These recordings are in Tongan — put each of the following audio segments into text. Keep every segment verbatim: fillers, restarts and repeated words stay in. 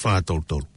fā tolu tolu.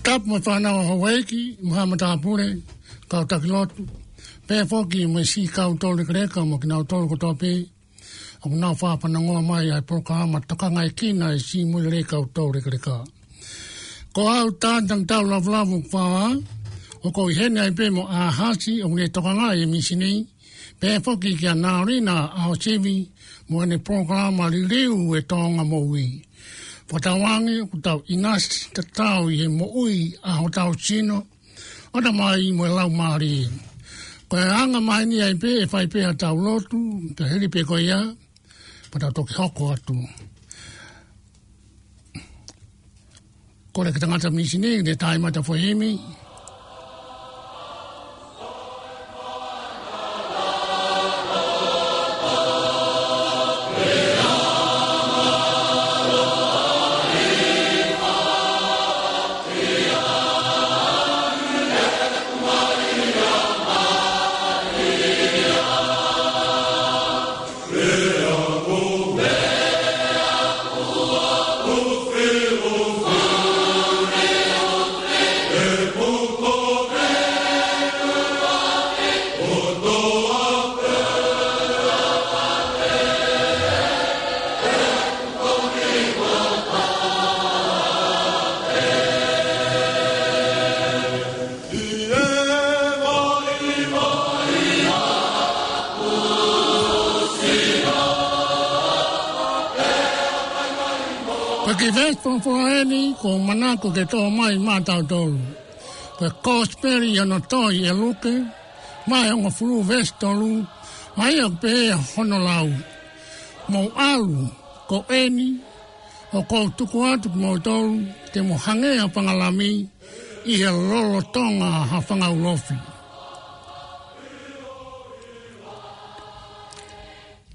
Tapu mo e fānau ʻa Houʻeiki, mo e haʻa matāpule, kau taki lotu, pea foki mo e siʻi kau tolu lekeleka mo kinautolu kotoa pē ʻoku nau fakafanongoa mai ʻa e polokalama Tokangaekina e Siʻi Moʻui Lelei Kau Tolu Lekeleka. Ko au Tānitangitau Lavulavu Kufā, ʻoku ou ʻi heni ai pē mo ʻAhasi ʻoku ne tokangaʻi e mīsini, pea foki kia Naolina ʻAhosivi mo ʻene polokalama Liliu e Toʻonga Moʻui. Fakatauange ʻoku tau ʻinasi tatau ʻi he moʻui ʻa hotau sino, ʻo tamai mo e laumālie. Ko e anga maheni ai pē ʻe fai pē ʻetau lotu, pea hili pē ko ia, pea tau toki hoko atu. Kole ki he tangata mīsini, ke ne tā e mata foʻi himi. Ko e kiʻi veesi folofola eni ʻoku ou manako ke toʻo mai maʻatautolu, ko e Kosipeli ʻi hono tohi ʻe Luke, vahe hongofulu veesi tolu, ʻa ia ʻoku pehē hono lau: Mou ʻalu, ko eni, ʻoku ou tuku atu kimoutolu, te mou hangē ha fanga lami ʻi he lolotonga ha fanga ulofi.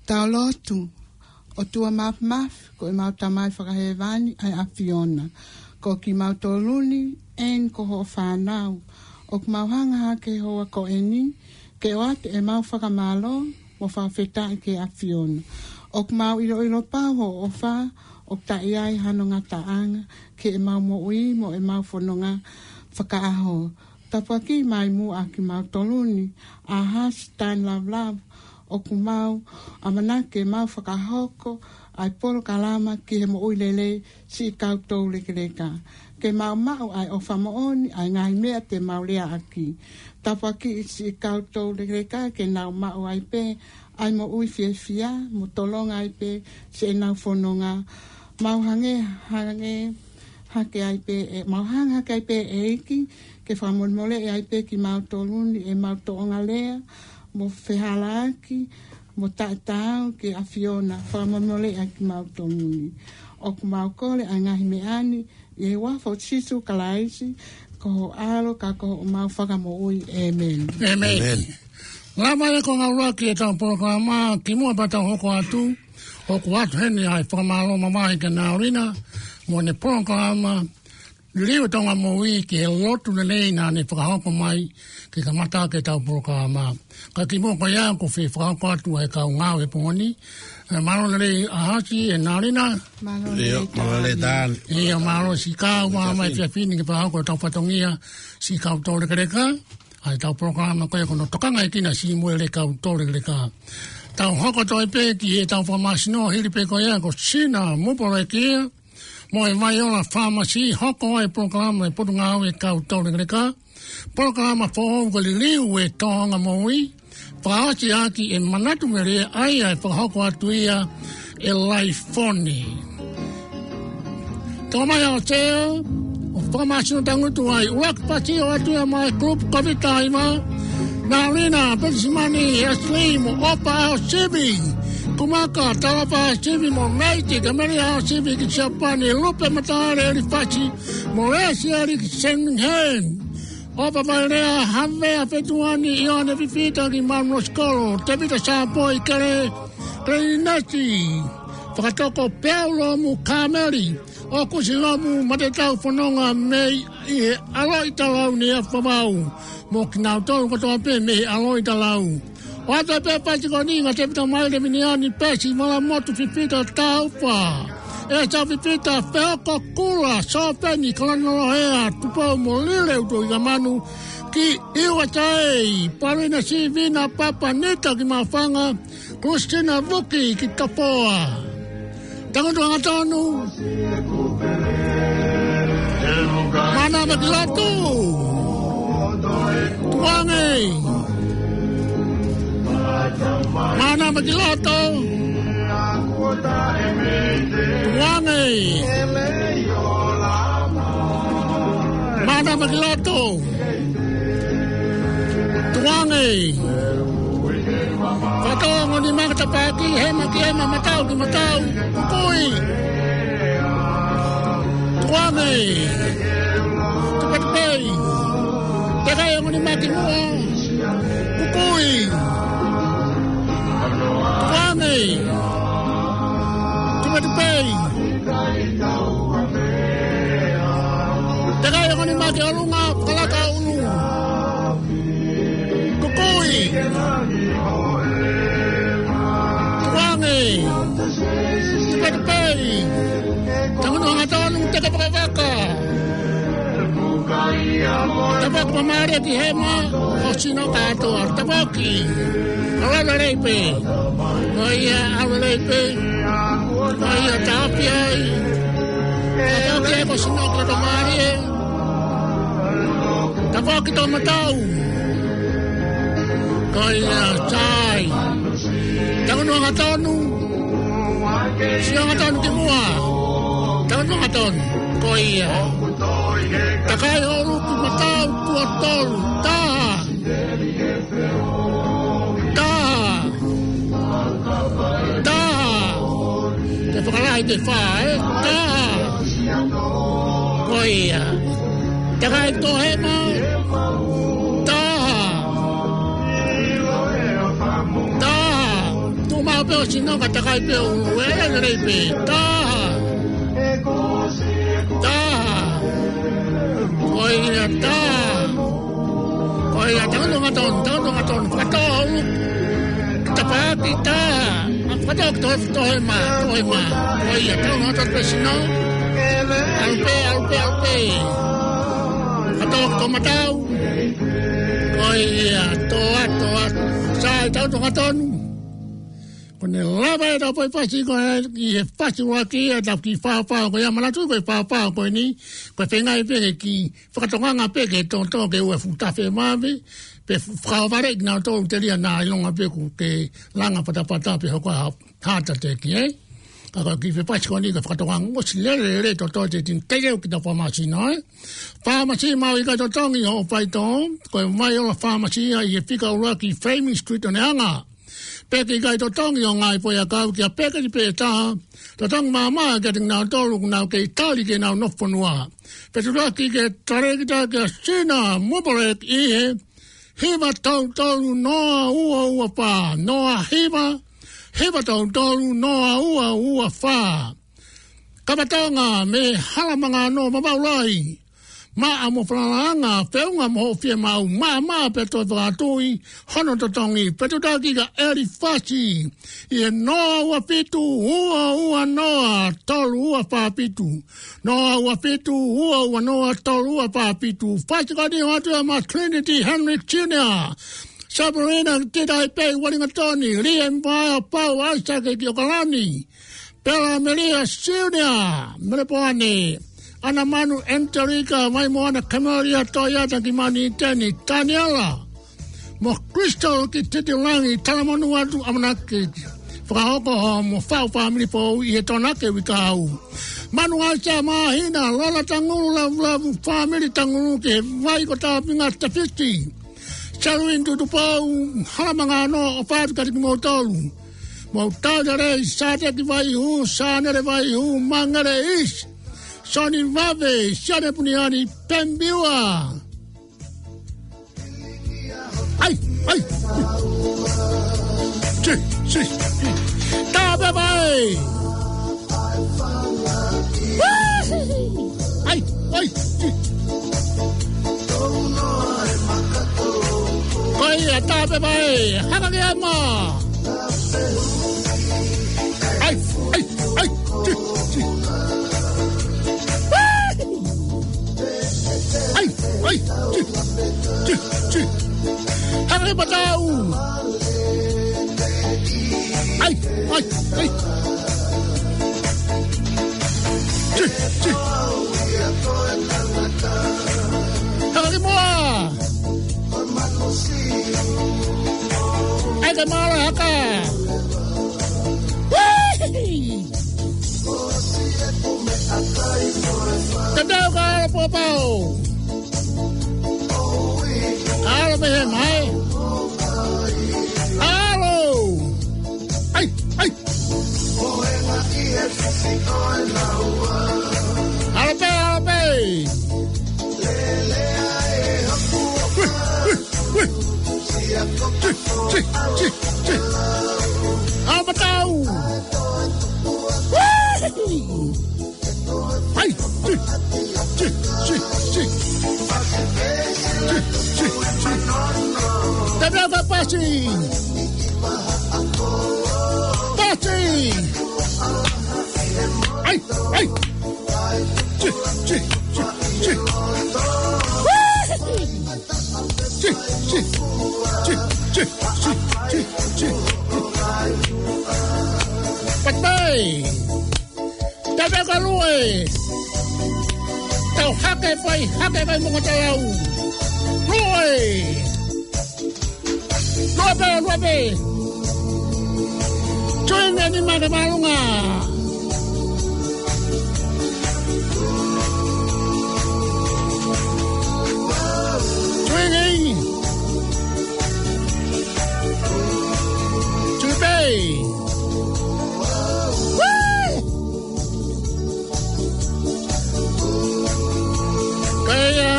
Tau lotu. ʻOtua Māfimafi, ko ʻemau Tamai Fakahēvani ʻa e ʻAfiona. Ko kimautolu ni eni ko hoʻo fānau. ʻOku mau hanga hake he houa ko eni ke ʻoatu ʻemau fakamālō mo fakafetaʻi ki he ʻAfiona. ʻOku mau ʻiloʻilo pau hoʻo ʻofa ʻoku taʻe ʻi ai hano ngataʻanga ki heʻemau moʻui mo ʻemau fononga fakaʻaho. Tāpuakiʻi mai muʻa kimautolu ni, ʻAhasi Tāni Lavulavu, ʻoku mau ʻamanaki ke mau fakahoko ʻa e polokalama Ki he Moʻui Lelei Siʻi Kau Tolu Lekeleka. Ke mau maʻu ʻa e ʻofa moʻoni ʻa e ngaahi meʻa te mau leaʻaki. Tāpuakiʻi siʻi kau tolu lekeleka ke nau maʻu ai pē ʻa e moʻui fiefia mo tolonga ai pē siʻenau fononga. Mau hangē, hangē hake ai pē, ʻe, mau hanga hake ai pē ʻEiki ke fakamolemoleʻi ai pē kimautolu ni ʻemau tōʻonga lea mo fehālaaki mo taʻetaau ki he ʻAfiona, fakamolemoleʻi ai kimautolu ni. ʻOku mau kole ʻa e ngaahi meʻa ni ʻi he huafa ʻo Sīsū Kalaisi, ko ho ʻAlo ka ko homau Fakamoʻui. ʻĒmeni. ʻĒmeni. ʻĒmeni. Lava e konga ʻuluaki ʻetau polokalama, kimuʻa pea tau hoko atu, ʻoku ʻoatu heni ʻa e fakamālō mamahi kia Naolina mo ʻene polokalama Liliu e Toʻonga Moʻui ki he lotu lelei naʻa ne fakahoko mai ke kamata ʻaki ʻetau polokalama. Ka kimuʻa ko ia ʻoku fie fakahoko atu ʻa e kau ngāue he pongi ni. ʻE, mālō lelei ʻAhasi, ʻe Naolina. Mālō lelei Tāni. ʻIo, mālō siʻi kau mai he efiafi ni ke fakahoko ʻetau fatongia siʻi kau tolu lekeleka. ʻa ʻetau polokalama ko ia ko hono Tokanga ʻEkina Sīmū ʻEleka Utolekeleka. Tau hoko atu ai pē ki heʻetau fakamāsino hili pē ko ia ko Sina Mupoleki ia, mo e Vaiola Fāmasi, hoko ai e polokalama ʻa e Potungāue Kau Tolekeleka. Polokalama foʻou ko e Liliu ʻo e Tōʻonga Moʻui, fakaʻosi ʻaki e manatu melie ʻa ia ʻe fakahoko atu ia ʻe Laifoni. Tau mai ʻo Sea, ʻo fakamāsino tangutu ai, ʻuluaki pasi ʻoatu ia maʻa e kulupu Koviti taha hiva, Nalina Penisimani, Ashley mo ʻOpa ʻAosivi, Kumaka Talapa ʻAosivi mo Meiti Kameli ʻAosivi ki Siapani, Lupe Mataele Elifasi mo Lesi Eliki Senhen, ʻOpa Vailea Havea Fetuani, ʻIoane Fifita ki Manuosikolo, Tevita Sāpoi Kele, Kelenesi, Fakatoko Peau Lomu Kameli, ʻOkusi Lomu Matetau Fononga mei he ʻAlo ʻi Talau ni ʻa Favau, mo kinautolu kotoa pē mei he ʻAlo ʻi Talau. ʻOatu pē pasi ko eni kia Tevita Maile Miniani, Pesi Malamotu, Fifita Taufa, ʻEsa Fifita, Feoko Kula, Sōpeni Kalanolohea, Tupou mo Lile Utoʻi Kamanu ki U S A, Paulina Sivina, Papa Nita ki Mafanga, Kusina Vuki ki Tapoa. Tangutu hangatonu. Mānava ki loto. Tuange. Mānava ki loto. Tuange. Mānava ki loto. Tuange. Fakatō ongo nima ki tapaʻaki, hema ki hema, matau ki matau. Kukui. Tuange. Tupetupei. Tekai ongo nima ki muʻa. Kukui. Tuange. Tupetupei. Tekai ongo nima ki ʻolunga, fakalaka ʻulu. Kukui. Tuange. Tupetupei. Tangutu hangatonu, teke vakavaka. Tapu ʻoku mālie ki hema, ʻo sino kātoa. Tapu ʻoku ʻalu lelei pē. Ko ia, ʻalu lelei pē. Ko ia, tapu ai. Tapu ʻoku ʻalu ko sino kātoa, mālie. Tapu ʻoku tō matau. Ko ia, sai. Tangutu hangatonu. Sio hangatonu ki muʻa. Tangutu hangatonu. Ko ia. Takai ʻulu ki matau, tuʻo tolu. Taha. Taha. Taha. Te fakalahi ke fā, ē? Taha. Ko ia. Takai tō hema. Taha. Taha. Tuʻu maʻu pē ʻo sino ka takai pē ʻulu, ē, lelei pē. Taha. Taha. Ko ia, taha. Ko ia, tangutu hangatonu, tangutu hangatonu. Fakatō ʻulu ki tapaʻaki, taha. Fakatō ki tō, tō hema, tō hema. Ko ia, tangutu hangatonu pē sino. ʻAlu pē, ʻalu pē, ʻalu pē. Fakatō ki tō matau. Ko ia, tō atu, tō atu. Sai, tangutu hangatonu. Ko ʻene lava ʻetau foʻi pasi ko ē ʻi he pasi ua ki ʻetau kiʻi fāfā ko ia, manatu ko e fāfā ko eni, ko e feinga pē ke kiʻi fakatokanga pē ke toto ke ua futa fe mave, pe fakavale kinautolu telia naʻa ʻilonga pē kuo ke langa patapata pe hoko ha heart attack, ē? Ka ko e kiʻi foʻi pasi ko eni ko e fakatokanga ʻosi lelelele toto te tin teitei kita fakamāsino, ē? Fakamāsino maʻu ʻikai totongi ʻo faitō, ko e Vaiola Fāmasi ia ʻi he fika ʻuluaki Flaming Street ʻo Neongo. Pea ʻikai totongi ʻo ngaahi foʻi ʻakau kia peketi pē taha, totongi maama kia kinautolu ʻoku nau kei tali ke nau nofo fonua. Pea tuʻuaki ke tali kita kia Sina Mupoleki ʻi he hiva tolu tolu noa ua ua fā, noa hiva, hiva tolu tolu noa ua ua fā. Kapa Tonga mei Halamangano, Vavaʻu Lahi. Maʻa mo falalaʻanga, feʻunga mo hoʻo fiemaʻu, maʻamaʻa pea toe fakatui hono totongi. Fetuʻutaki kia ʻElifasi ʻi he noa ua fitu ua ua noa tolu ua fā fitu. Noa ua fitu ua ua noa tolu ua fā fitu. Fasi ko eni ʻoatu ia maʻa Trinity Henry Junior, Sabrina Titaipei Uelingatoni, Liam Vaea Pau Aisake ki ʻOkalani, Pela Melia Siunia Melepoane, ʻAna Manu Angelika Vaimoana, Camelia Toyata ki Maniteni, Taniela mo Crystal ki Titilangi, talamonū atu ʻamanaki ke fakahoko hoʻomo faʻu fāmili foʻou ʻi he Tokonaki uike ʻaho. Manu Aisa Māhina, Lola Tangulu Lavulavu, fāmili Tangulu ki he vai ko Tāpinga Tefiti. Selwyn Tutupou, Halamangano, ʻofa atu kiate kimoutolu. Mo Tauta Lei, Sāteki Vaihu, Sānele Vaihu, Mangele Is, Soni Vave, Siane Puniani, Pembiua. ʻAi, ʻai. Tī, tī, tī. Tāpepa ē. ʻAi, ʻai, tī. Ko ia, tāpepa ē. Haka ke ama. ʻAi, ʻai, ʻai, tī, tī. ʻAi, ʻai, tī, tī, tī. Haka ke matau. ʻAi, ʻai, ʻai. Tī, tī. Haka ke moa. ʻAi ke mālō haka. Wee! Tatau ka ala pōpao. Alo pē he mai. Alo. ʻAi, ʻai. Alo pē, alo pē. Ui, ui, ui. Tī, tī, tī, tī. ʻAi matau. Ui. ʻAi, tī, tī, tī, tī. Tī, tī, tī. Tatau ka pasi. Pasi. ʻAi, ʻai. Tī, tī, tī, tī. Tī, tī, tī, tī, tī, tī, tī. Patai. Tau pē ka lue. Tau hake fai, hake fai mo ka tau. Lue. Lue pē, lue pē. Tui nge ni mate malunga. Tui nge. Tui pē. Wee! Kaia,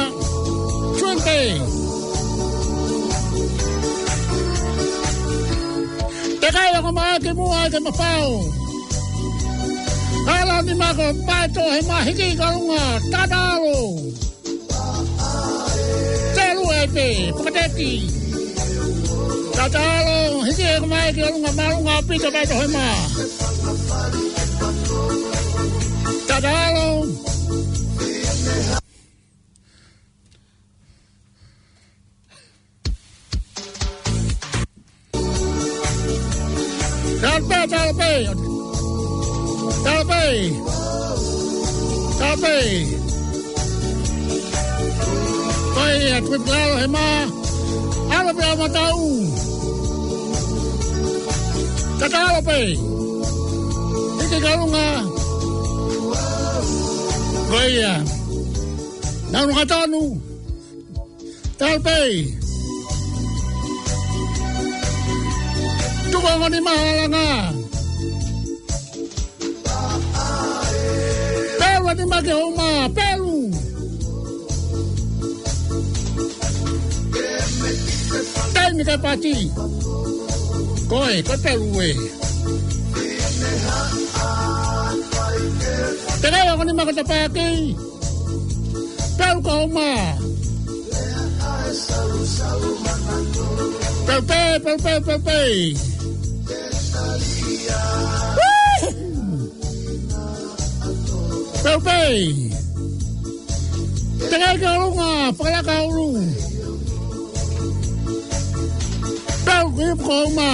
twenty. Te kai ako mai ke mua ke mafao. Ala ni mako pato he mahiki kalunga tatalo. Telu e pe, pakateki. Tatalo, hiki e kamai ki ʻolunga malunga pita pai tohema. Tatalo. Tālpe, tālpe. Tālpe. Tālpe. Ko ia, tuku lalo he mā. Alo pē ʻa matau. Tatalo pē. Hiki kalunga. Ko ia. Nau nunga tonu. Tālpe. Tuku ongo nima ʻa langa. Pelu ʻa nima ke homa. Pelu. Taimi ke pati. Ko e, ko e pelu ē. Te kai ongo nima ke tapaki. Pelu ko uma. Pelu pē, pelu pē, pelu pē. Pelu pē. Teʻeki ke ʻolunga, fakalaka ʻulu. Pelu ki ko uma.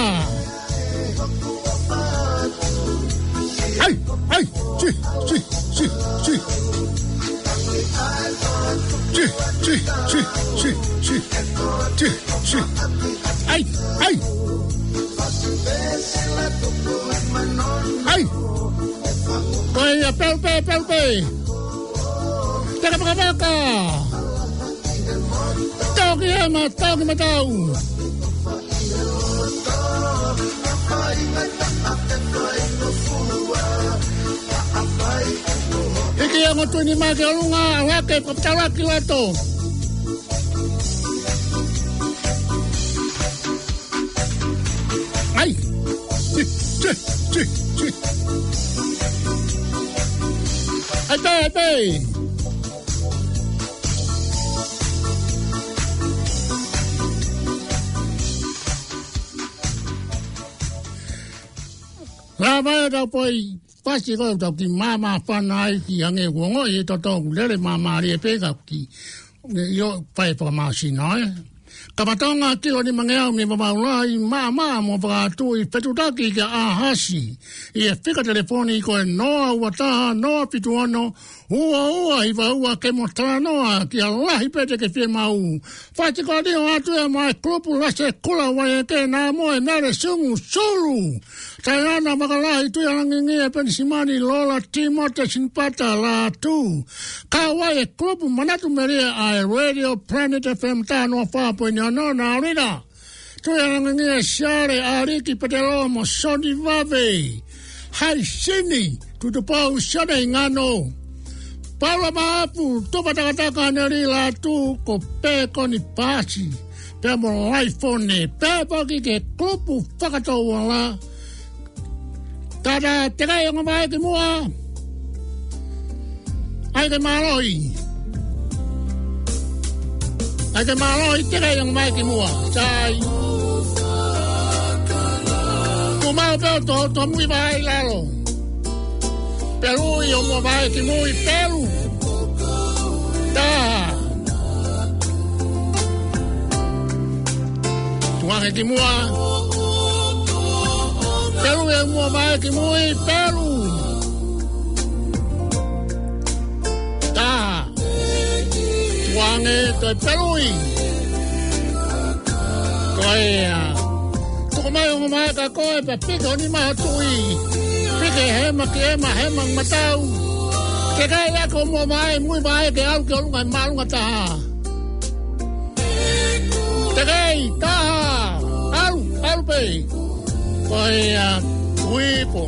Ai, ai, si, si, si, si. Si, si, si, si, si. Si, si. Ai, ai. Ai. Ko ia, pelu pē, pelu pē. Teka pakapaka. Toki ʻema, toki matau. Hiki ange ʻo tuʻu nima ki ʻolunga, ʻalake, fakatala ki loto. Ai. Tsi, tsi, tsi, tsi. Ai, pē, ai, pē. Lava e tau poi, pasi ko tau ki māmā fana ai ki ange uongo i toto lele māmālie pē ka ki. ʻIo, fai fakamāsina, ē. Kapa Tonga kilo nimangeau mei Vavaʻu Lahi, māmā mo fakatui fetutaki kia ʻAhasi. ʻI he fika telefoni ko e noa ua taha, noa fitu ono, ua ua hiva ua ke mo talanoa kia Lahi Pete ke fiemaʻu. Fati ko ni o atu e mai kulupu Lase Kula Uaieke na mo e Mele Sungu Sulu. Taiana Makalahi, Tuʻialangingie Penisimani, Lola Timote Sinipata Lātū. Kau ai e kulupu Manatu Melie ʻa e Radio Planet F M taha noa fā poini ono na Rina. Tuʻialangingie Siale, ʻAliki Petelo mo Soni Vave. Hai Sini, Tutupou Sione Ingano. Paula Maʻapu, Tupa Takataka Neli Lātū, ko Pekoni Pasi. Pea mo Laifone, pea paki ke kulupu fakatouala. Tata, teʻeki ke ʻomai ki muʻa. ʻAi ke mālohi. ʻAi ke mālohi, teʻeki ke ʻomai ki muʻa. Sai. Kuo mau pē ʻo to, to mui vai lalo. Pelu ʻi ʻo mua vai ki mui, pelu. Taha. Tuʻu ange ki muʻa. Pelu ʻi ʻo mua vai ki mui, pelu. Taha. Tuʻu ange, toe pelu ʻi. Ko ia. Tuku mai ʻo mua mai ka koe pea piki ho nima ʻo tuʻi. Piki hema ki hema, hema matau. Teʻeki ai ke ʻomai, mui mai ke ʻalu ki ʻolunga, māʻolunga taha. Teʻeki, taha. ʻAlu, ʻalu pē. Ko ia, uipo.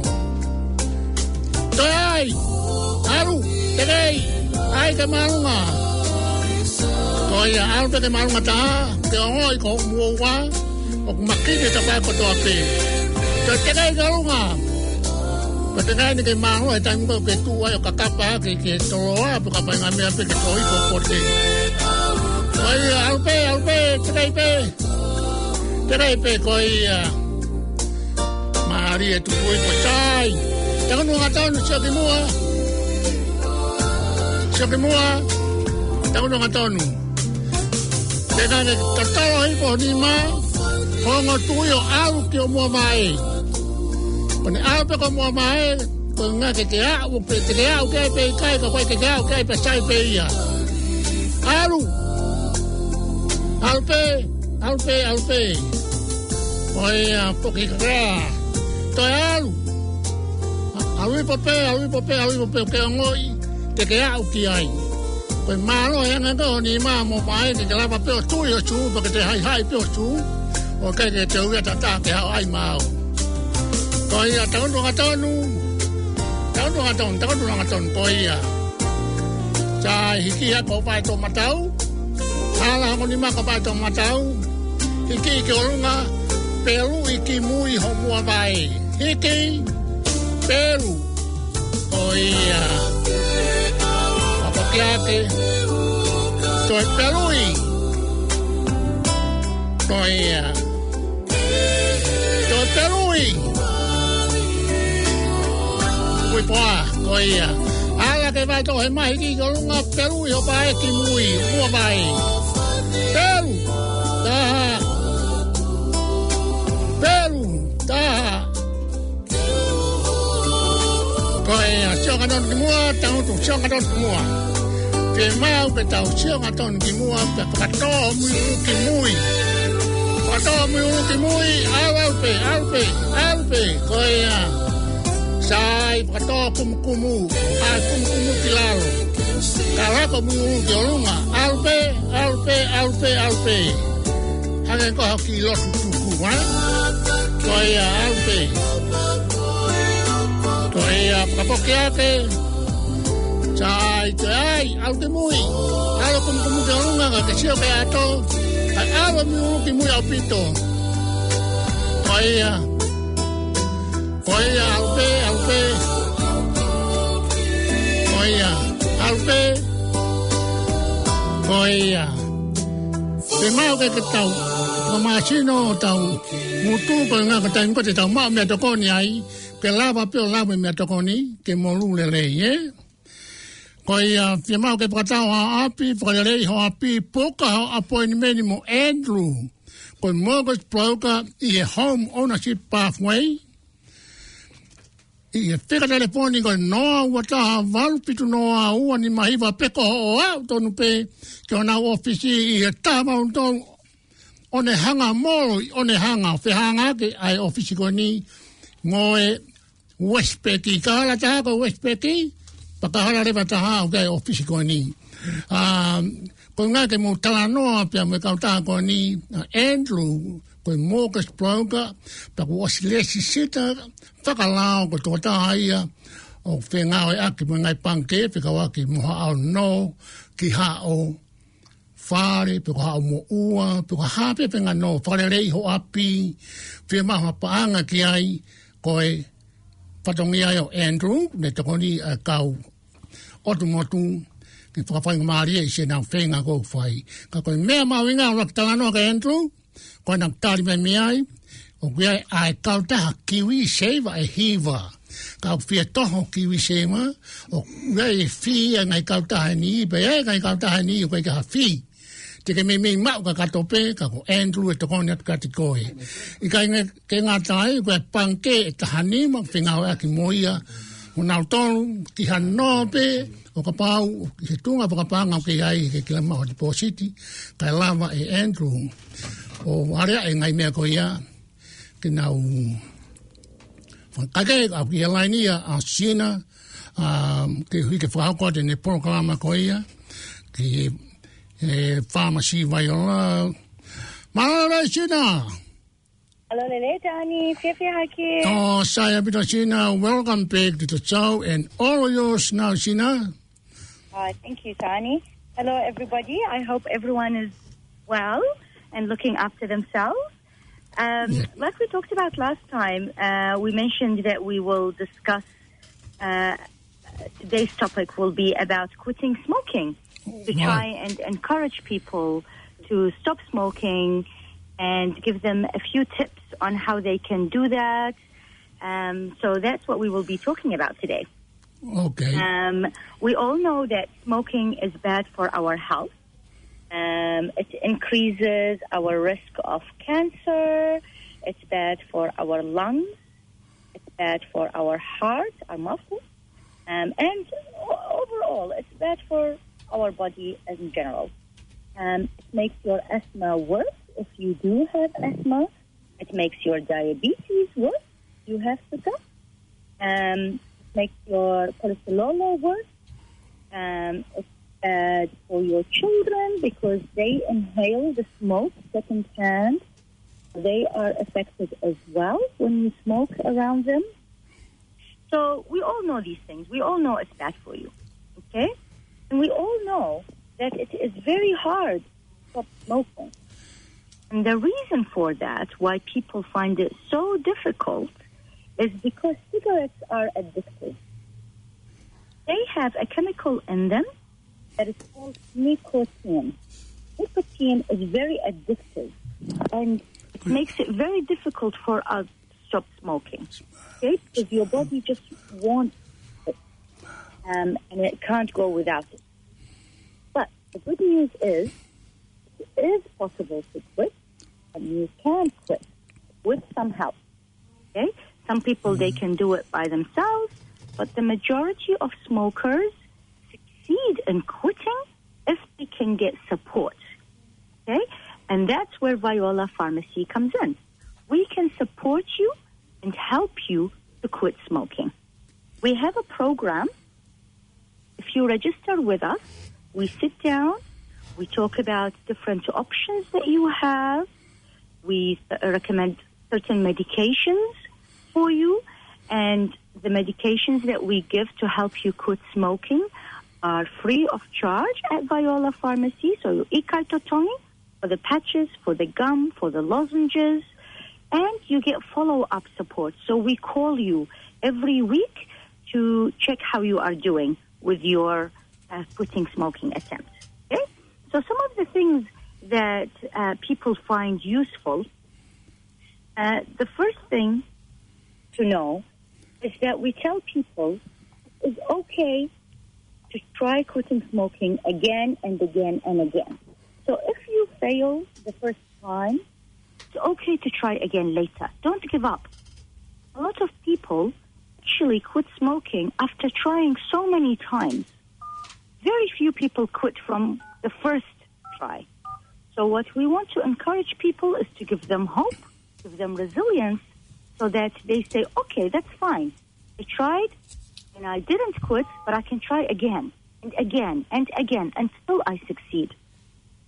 Toe ʻai, ʻalu, teʻeki, ʻai ke māʻolunga. Ko ia, ʻalu pē ke māʻolunga taha, ke ongoʻi ko muʻa. ʻOku makini e tapa kotoa pē. Ke teʻeki ke ʻolunga. Ko e teʻeki ai ke māʻolunga, he taimi ko ē ke tuʻu ai ʻo kakapa ke, ke toloa, pe kapa ngaahi meʻa pē ke toe ʻi ko pote. Ko ia, ʻalu pē, ʻalu pē, teʻeki pē. Teʻeki pē ko ia. Mālie tuku i ko sai. Tango nua ngatonu, sio ki muʻa. Sio ki muʻa. Tango nua ngatonu. Teʻeki ai ke tatalo ʻi ho nima, hongo tuʻi ʻo ʻalu ki ʻo mua mai. Ko ʻene ʻalu pē ki ʻo mua mai, ko e ʻuhinga ke te aʻu pē, te ke aʻu ki ai pē ʻikai, ka ko e ke te aʻu ki ai pē sai pē ia. ʻAlu. ʻAlu pē, ʻalu pē, ʻalu pē. Ko ia, poki kakea. Toe ʻalu. ʻAlu ipo pē, ʻalu ipo pē, ʻalu ipo pē, ke ongoʻi, te ke aʻu ki ai. Ko e mālō e anga ko eni mā mo pae ke ke lava pē ʻo tuʻi ʻo sū, pea ke te haʻihaʻi pē ʻo sū. ʻOku ʻikai ke te ui ʻa tata ke haʻu ai maʻau. Ko ia, tango nua ngatonu. Tango nua ngatonu, tango nua ngatonu, ko ia. Sai, hiki hake ʻo pae tō matau. Hala hongo nima ko pae tō matau. Hiki ki ʻolunga, pelu ʻi ki mui ho mua vai. Hiki, pelu. Ko ia. Papakiake. Toe pelui. Ko ia. Toe pelui. Ui poa, ko ia. Ala ke vai tō he mahiki ki ʻolunga, pelui hoʻo pae ki mui, ua vai. Pelu. Taha. Pelu. Taha. Ko ia, sio angatonu ki muʻa, tangutu, sio angatonu ki muʻa. Fiemaʻu ke tau sio angatonu ki muʻa, pea fakatō mui ʻulu ki mui. Fakatō mui ʻulu ki mui, ʻalu, ʻalu pē, ʻalu pē, ʻalu pē, ko ia. Sai, fakatō kumukumu, ʻai kumukumu ki lalo. Ka lako mui ʻulu ki ʻolunga, ʻalu pē, ʻalu pē, ʻalu pē, ʻalu pē. Hangē ko ha kiʻi lotu tuku, ē? Ko ia, ʻalu pē. Ko ia, fakapoki hake. Sai, toe ʻai, ʻalu ki mui. ʻAlu kumukumu ki ʻolunga, ka ke sio ki ʻato. ʻAi, ʻalu mui ʻulu ki mui ʻaupito. Ko ia. Ko ia, ʻalu pē, ʻalu pē. Ko ia, ʻalu pē. Ko ia. Fiemaʻu ke, ke tau fakamāsino hotau ngutu, koeʻuhi ko e taimi ko ē te tau maʻu meʻatokoni ai, ke lava pē ʻo lava meʻatokoni, ke molū lelei, ē? Ko ia, fiemaʻu ke fakatau ho ʻapi, fakalelei ho ʻapi, puka ho appointment mo Andrew, ko e mortgage broker ʻi he Home Ownership Pathway, ʻi he fika telefoni ko e noa ua taha valu fitu noa ua nima hiva pe ko hoʻo aʻu tonu pē ki honau ʻōfisi ʻi he taha valu tolu Onehunga Mall ʻi Onehunga, fehangahangai ʻa e ʻōfisi ko eni mo e Westpac, ka hala taha ko e Westpac, pea ka hala leva taha ʻoku ʻi ai e ʻōfisi ko eni. ʻA, koeʻuhi ke mou talanoa pea mo e kautaha ko eni, ʻa Andrew, ko e mortgage broker, pea kuo ʻosi lēsisita fakalao ko e tokotaha ia ʻoku fengāueʻaki mo e ngaahi pangikē, fekauʻaki mo haʻo nō ki haʻo fale, pe ko haʻo moʻua, pe ko ha pē fengāueʻaki, fakalelei ho ʻapi, fiemaʻu ha paʻanga ki ai, ko e fatongia ia ʻo Andrew, ne tokoni ʻa e kau ʻotu motu, ke fakafaingamālie ʻi siʻenau feinga ʻoku fai. Ka ko e meʻa mahuʻinga ʻuluaki talanoa ki ai Andrew, ko ʻena tali mai mei ai, ʻoku ʻi ai ʻa e kautaha KiwiSaver ʻe hiva. Ka ʻoku fie toho KiwiSaver, ʻoku ʻi ai e fee ʻa e ngaahi kautaha ni, pea ʻi ai e ngaahi kautaha ni, ʻoku ʻikai ha fee. Te ke meimei maʻu kakato pē, ka ko Andrew ʻe tokoni atu kiate koe. ʻIkai ngata ai, ko e pangikē ʻe taha nima, fengāueʻaki mo ia, mo nautolu, ki hano pē, ʻo kapau, ki he tuʻunga fakapaʻanga ʻoku ʻi ai, ke kila maʻu ha tipōsiti, kae lava ʻe Andrew ʻo aleaʻi e ngaahi meʻa ko ia, ke nau, fakake, ʻoku ʻi he laini ia ʻa Sina, ʻa, ke hui ke fakahoko atu ʻene polokalama ko ia, ki he, e, Pharmacy Viola. Mālō Sina! Hello, Lele, Tani, fiefia hake. Oh, saya pita Sina, welcome back to the show, and all yours now, Sina. Uh, thank you, Tani. Hello, everybody. I hope everyone is well and looking after themselves. Um, Yeah. Like we talked about last time, uh, we mentioned that we will discuss, uh, today's topic will be about quitting smoking, to Right. try and encourage people to stop smoking and give them a few tips on how they can do that. Um, so that's what we will be talking about today. Okay. Um, we all know that smoking is bad for our health. Um, it increases our risk of cancer. It's bad for our lungs. It's bad for our heart, our muscles. Um, and o-, overall, it's bad for our body in general. Um, it makes your asthma worse if you do have asthma. It makes your diabetes worse. You have sugar. Um, it makes your cholesterol worse. Um, it's bad for your children because they inhale the smoke secondhand. They are affected as well when you smoke around them. So we all know these things. We all know it's bad for you, okay? And we all know that it is very hard to stop smoking. And the reason for that, why people find it so difficult, is because cigarettes are addictive. They have a chemical in them that is called nicotine. Nicotine is very addictive and it makes it very difficult for us to stop smoking. Okay? Because your body just wants it, um, and it can't go without it. But the good news is, it is possible to quit, and you can quit with some help. Okay? Some people, they can do it by themselves, but the majority of smokers succeed in quitting if they can get support. Okay? And that's where Viola Pharmacy comes in. We can support you and help you to quit smoking. We have a program. If you register with us, we sit down, we talk about different options that you have, we, uh, recommend certain medications for you, and the medications that we give to help you quit smoking are free of charge at Viola Pharmacy. So ʻikai totongi, for the patches, for the gum, for the lozenges, and you get follow-up support. So we call you every week to check how you are doing with your, uh, quitting smoking attempt. Okay? So some of the things that, uh, people find useful, uh, the first thing to know is that we tell people it's okay to try quitting smoking again and again and again. So if you fail the first time, it's okay to try again later. Don't give up. A lot of people actually quit smoking after trying so many times. Very few people quit from the first try. So what we want to encourage people is to give them hope, give them resilience, so that they say, "Okay, that's fine. I tried and I didn't quit, but I can try again and again and again until I succeed."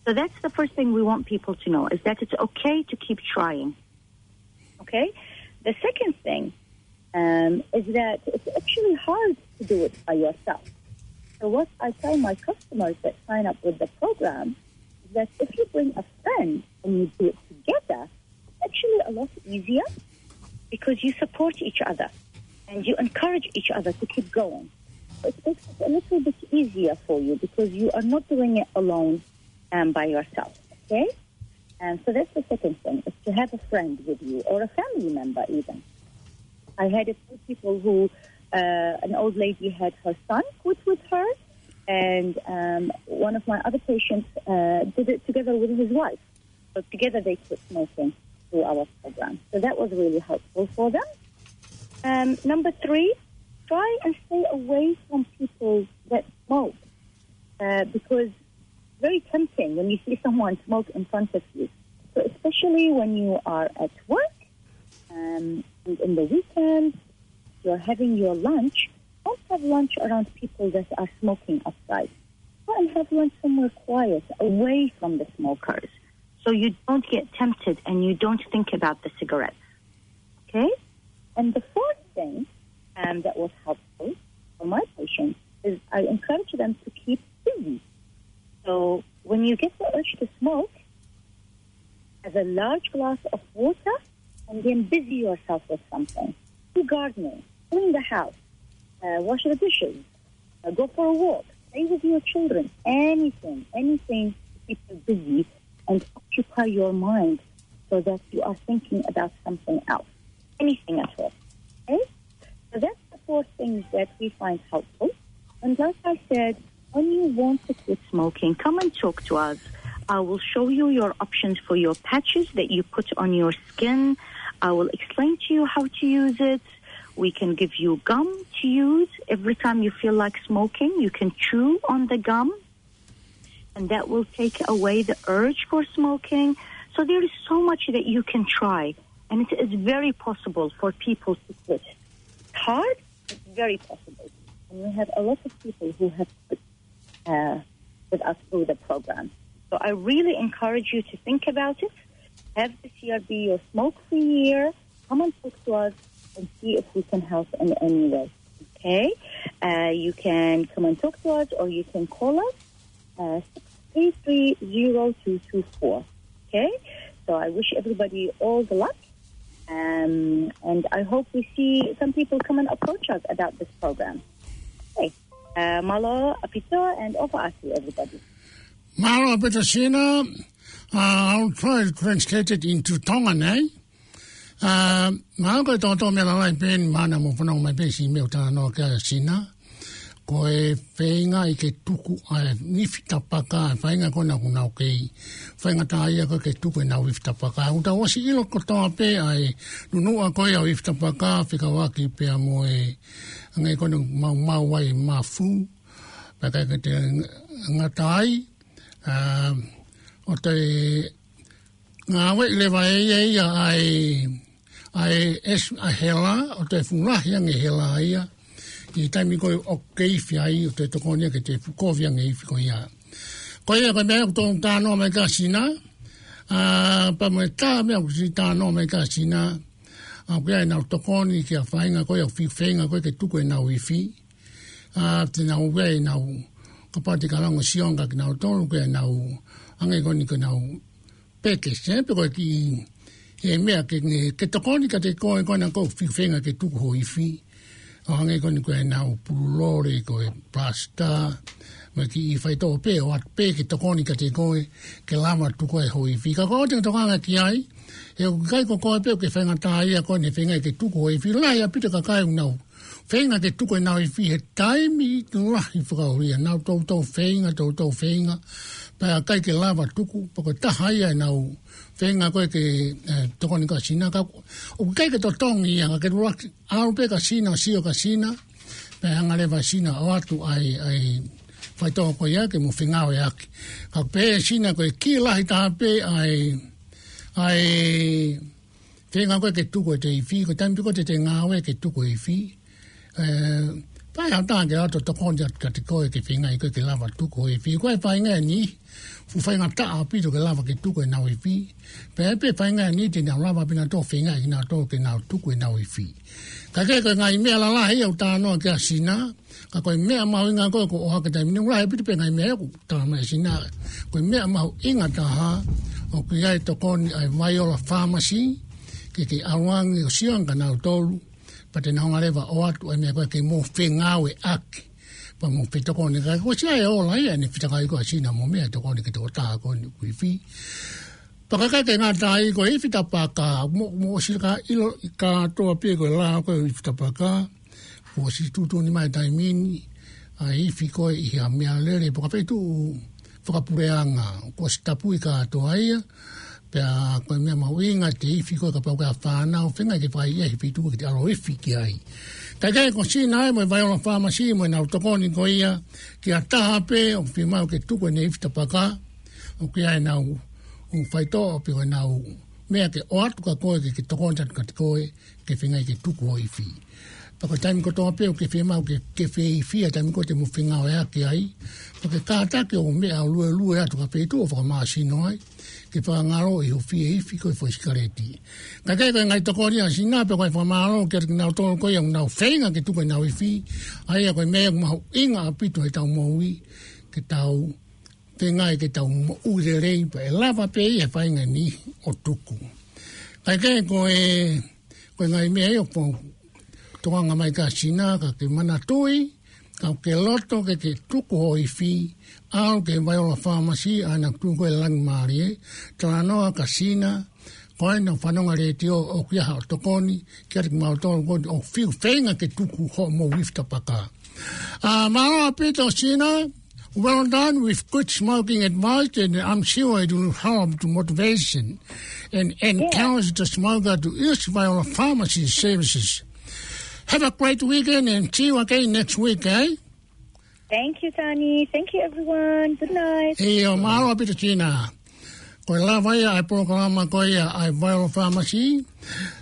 So that's the first thing we want people to know, is that it's okay to keep trying. Okay? The second thing, um, is that it's actually hard to do it by yourself. So what I tell my customers that sign up with the program is that if you bring a friend and you do it together, it's actually a lot easier because you support each other and you encourage each other to keep going. So it makes it a little bit easier for you because you are not doing it alone, um, by yourself. Okay? And so that's the second thing, is to have a friend with you or a family member even. I had a few people who, uh, an old lady had her son quit with her, and, um, one of my other patients, uh, did it together with his wife. So together they quit smoking through our program. So that was really helpful for them. Um, number three, try and stay away from people that smoke, uh, because very tempting when you see someone smoke in front of you. So especially when you are at work, um, and in the weekend, you're having your lunch, don't have lunch around people that are smoking outside. Go and have lunch somewhere quiet, away from the smokers, so you don't get tempted and you don't think about the cigarettes. Okay? And the fourth thing, um, that was helpful for my patients is I encourage them to keep busy. So when you get the urge to smoke, have a large glass of water and then busy yourself with something. Do gardening, clean the house, uh, wash the dishes, uh, go for a walk, play with your children, anything, anything to keep you busy and occupy your mind so that you are thinking about something else, anything at all. Okay? So that's the four things that we find helpful. And like I said, when you want to quit smoking, come and talk to us. I will show you your options for your patches that you put on your skin. I will explain to you how to use it. We can give you gum to use. Every time you feel like smoking, you can chew on the gum, and that will take away the urge for smoking. So there is so much that you can try, and it is very possible for people to quit. It's hard, it's very possible. And we have a lot of people who have quit, uh, with us through the program. So I really encourage you to think about it. Have the C R B your smoke-free year. Come and talk to us and see if we can help in any way. Okay? Uh, you can come and talk to us, or you can call us, uh, six three three zero two two four. Okay? So I wish everybody all the luck. Um, and I hope we see some people come and approach us about this program. Okay. Uh, mālō ʻaupito and ʻofa atu, everybody. Mālō ʻaupito Sina. Uh, I'll try to translate it into Tongan, eh? Uh, mālō, ko e tōtō meʻa lalahi pē eni, mana mo fanongo mai pē siʻi meʻa ʻoku talanoa ki ai ʻa Sina. Ko e feinga ke tuku ʻa e ifi tapaka, feinga ko ena ʻoku nau kei feinga taha ia ko ē ke tuku ʻenau ifi tapaka. ʻOku tau ʻosi ʻilo kotoa pē ʻa e nunuʻa ko ia ʻo e ifi tapaka, fekauʻaki pea mo e anga ko ena ʻoku maumau ai e mafu, pea ʻikai ke te ngata ai, ā, ʻo toe ngāueʻi leva ʻe ia ia ʻa e, ʻa e ʻesi-, ʻa e hela, ʻo toe fuʻu lahi ange hela ia ʻi he taimi ko ē ʻoku ke ifi ai, ʻo toe tokoni ia ke toe fuʻu kovi ange ifi ko ia. Ko ia ko e meʻa ʻoku tau talanoa mai ki ai ʻa Sina, ā, pea mo e taha meʻa ʻoku siʻi talanoa mai ki ai ʻa Sina, ā, ʻoku ʻi ai ʻenau tokoni ki he feinga ko ia, ʻo e fiu feinga ko ē ke tuku ʻenau ifi. Ā, te nau ʻi ai ʻenau, kapau te ke lava ʻo sio ange kia kinautolu, ko ʻenau, anga ko eni ko ʻenau pekesi, pe ko e kiʻi, e meʻa ke, ke tokoni kiate koe, ko ena ʻoku fiu feinga ke tuku hoʻo ifi. ʻO hangē ko eni ko ʻenau pulu lole, ko e plasta, mo e kiʻi faitoʻo pē, ʻoatu pē ke tokoni kiate koe, ke lava tuku ai hoʻo ifi. Ka ko e tokanga ki ai, he ʻoku ʻikai ko koe pē ʻoku ke feinga taha ia ko eni feinga ke tuku hoʻo ifi. Lahi ʻaupito e kakai ʻoku nau feinga ke tuku ʻenau ifi he taimi lahi fakaʻulia. Nau toutou feinga, toutou feinga, pea ʻikai ke lava tuku, pea ko e taha ia ʻenau feinga ko ē ke, eh, tokoni kia Sina, ka ʻoku ʻikai ke totongi ia, ka ke lava ke ʻalu pē kia Sina, sio kia Sina, pea hanga leva ʻe Sina ʻo ʻoatu ʻa e, ʻa e faitoʻo ko ia ke mo fengāueʻaki. Ka pehē ʻe Sina ko e kiʻi lahi taha pē ʻa e, ʻa e feinga ko ē ke tuku ʻete ifi, ko e taimi pē ko ē te te ngāue ke tuku e ifi. Eh, pea ʻe haʻu ha taha ke ʻalu ʻo tokoni atu kiate koe ke feinga ai koe ke lava tuku e ifi. Ko e feinga ʻeni, fuʻu faingataʻa ʻaupito ke lava ke tuku ʻenau ifi. Pea ʻe pē feinga ʻeni te nau lava pē ʻenautolu ʻo feinga ʻe kinautolu ke nau tuku ʻenau ifi. Ka ko e ngaahi meʻa lalahi ʻoku talanoa ki ai ʻa Sina, ka ko e meʻa mahuʻinga ko ē ʻoku ʻohake he taimi ni, ʻoku lahi ʻaupito pē ngaahi meʻa ʻoku talanoa mai ʻa Sina. Ko e meʻa mahuʻinga taha, ʻoku ʻi ai e tokoni ʻa e Viola Pharmacy, ke ke ʻalu ange ʻo sio ange kia kinautolu, pea te nau hanga leva ʻo ʻoatu ʻa e meʻa ko ē ke mo fengāueʻaki, pea mo fetokoni. Ka ko e ʻosi ia e ola ia ʻene fetakai ko ē ʻa Sina mo meʻa tokoni ki he tokotaha ko eni ʻoku ifi. Pea ʻikai ke ngata ai, ko e ifi tapaka, mo, mo sila ka ʻilo ʻi kātoa pē ko e lao ko ē ʻo e ifi tapaka, kuo ʻosi tuʻutuʻuni mai he taimi ni ʻa e ifi ko ē ʻi ha meʻalele pe ko ha feituʻu fakapuleʻanga, kuo ʻosi tapui kātoa ia, pea ko e meʻa mahuʻinga ʻete ifi ko ē kapau ko ha fānau, feinga ke fai ia he feituʻu ke te ʻalu ʻo ifi ki ai. Ka ʻikai ko Sina ia mo e Viola Pharmacy mo ʻenau tokoni ko ia ki ha taha pē ʻoku fiemaʻu ke tuku ʻene ifi tapaka, ʻoku ʻi ai ʻenau ʻū faitoʻo pe ko ʻenau meʻa ke ʻoatu kia koe ke, ke tokoni atu kiate koe ke feinga ke tuku hoʻo ifi. Pea ko e taimi kotoa pē ʻoku ke fiemaʻu ke, ke fie ifi, ʻa e taimi ko ē te mo fengāueʻaki ai, pea ke kātaki ʻo meʻa ʻo luelue atu ki ha feituʻu ʻo fakamāsino ai, ke fakangaloʻi hoʻo fie ifi ko e foʻi sikaleti. Ka ʻikai ko e ngaahi tokoni ʻa Sina, pea ko e fakamālō kiate kinautolu ko ia ʻoku nau feinga ke tuku ʻenau ifi, ʻa ia ko e meʻa mahuʻinga ʻaupito heʻetau moʻui, ke tau feinga ke tau moʻui lelei pea ʻe lava pē ia he feinga ni ʻo tuku. Ka ʻikai ko e, ko e ngaahi meʻa ia ʻoku tokanga mai ki ai ʻa Sina, ka ke manatuʻi, kapau ʻoku ke loto ke ke tuku hoʻo ifi, ʻalu ki he Viola Pharmacy, ʻa ena ʻoku tuʻu ko ē Langimālie, talanoa kia Sina, ko ena ʻoku fanongo he letiō ʻoku ʻi ai haʻo tokoni, kiate kimautolu ko ē ʻoku fiu feinga ke tuku hoʻomou ifi tapaka. Uh, mālō ʻaupito Sina, well done with good smoking advice, and I'm sure it will help to motivation and encourage the smoker to use Viola Pharmacy services. Have a great weekend and see you again next week, eh? Thank you, Tani. Thank you, everyone. Good night. ʻIo, mālō ʻaupito Sina. Ko e lava ia ʻa e polokalama ko ia ʻa e Viola Pharmacy.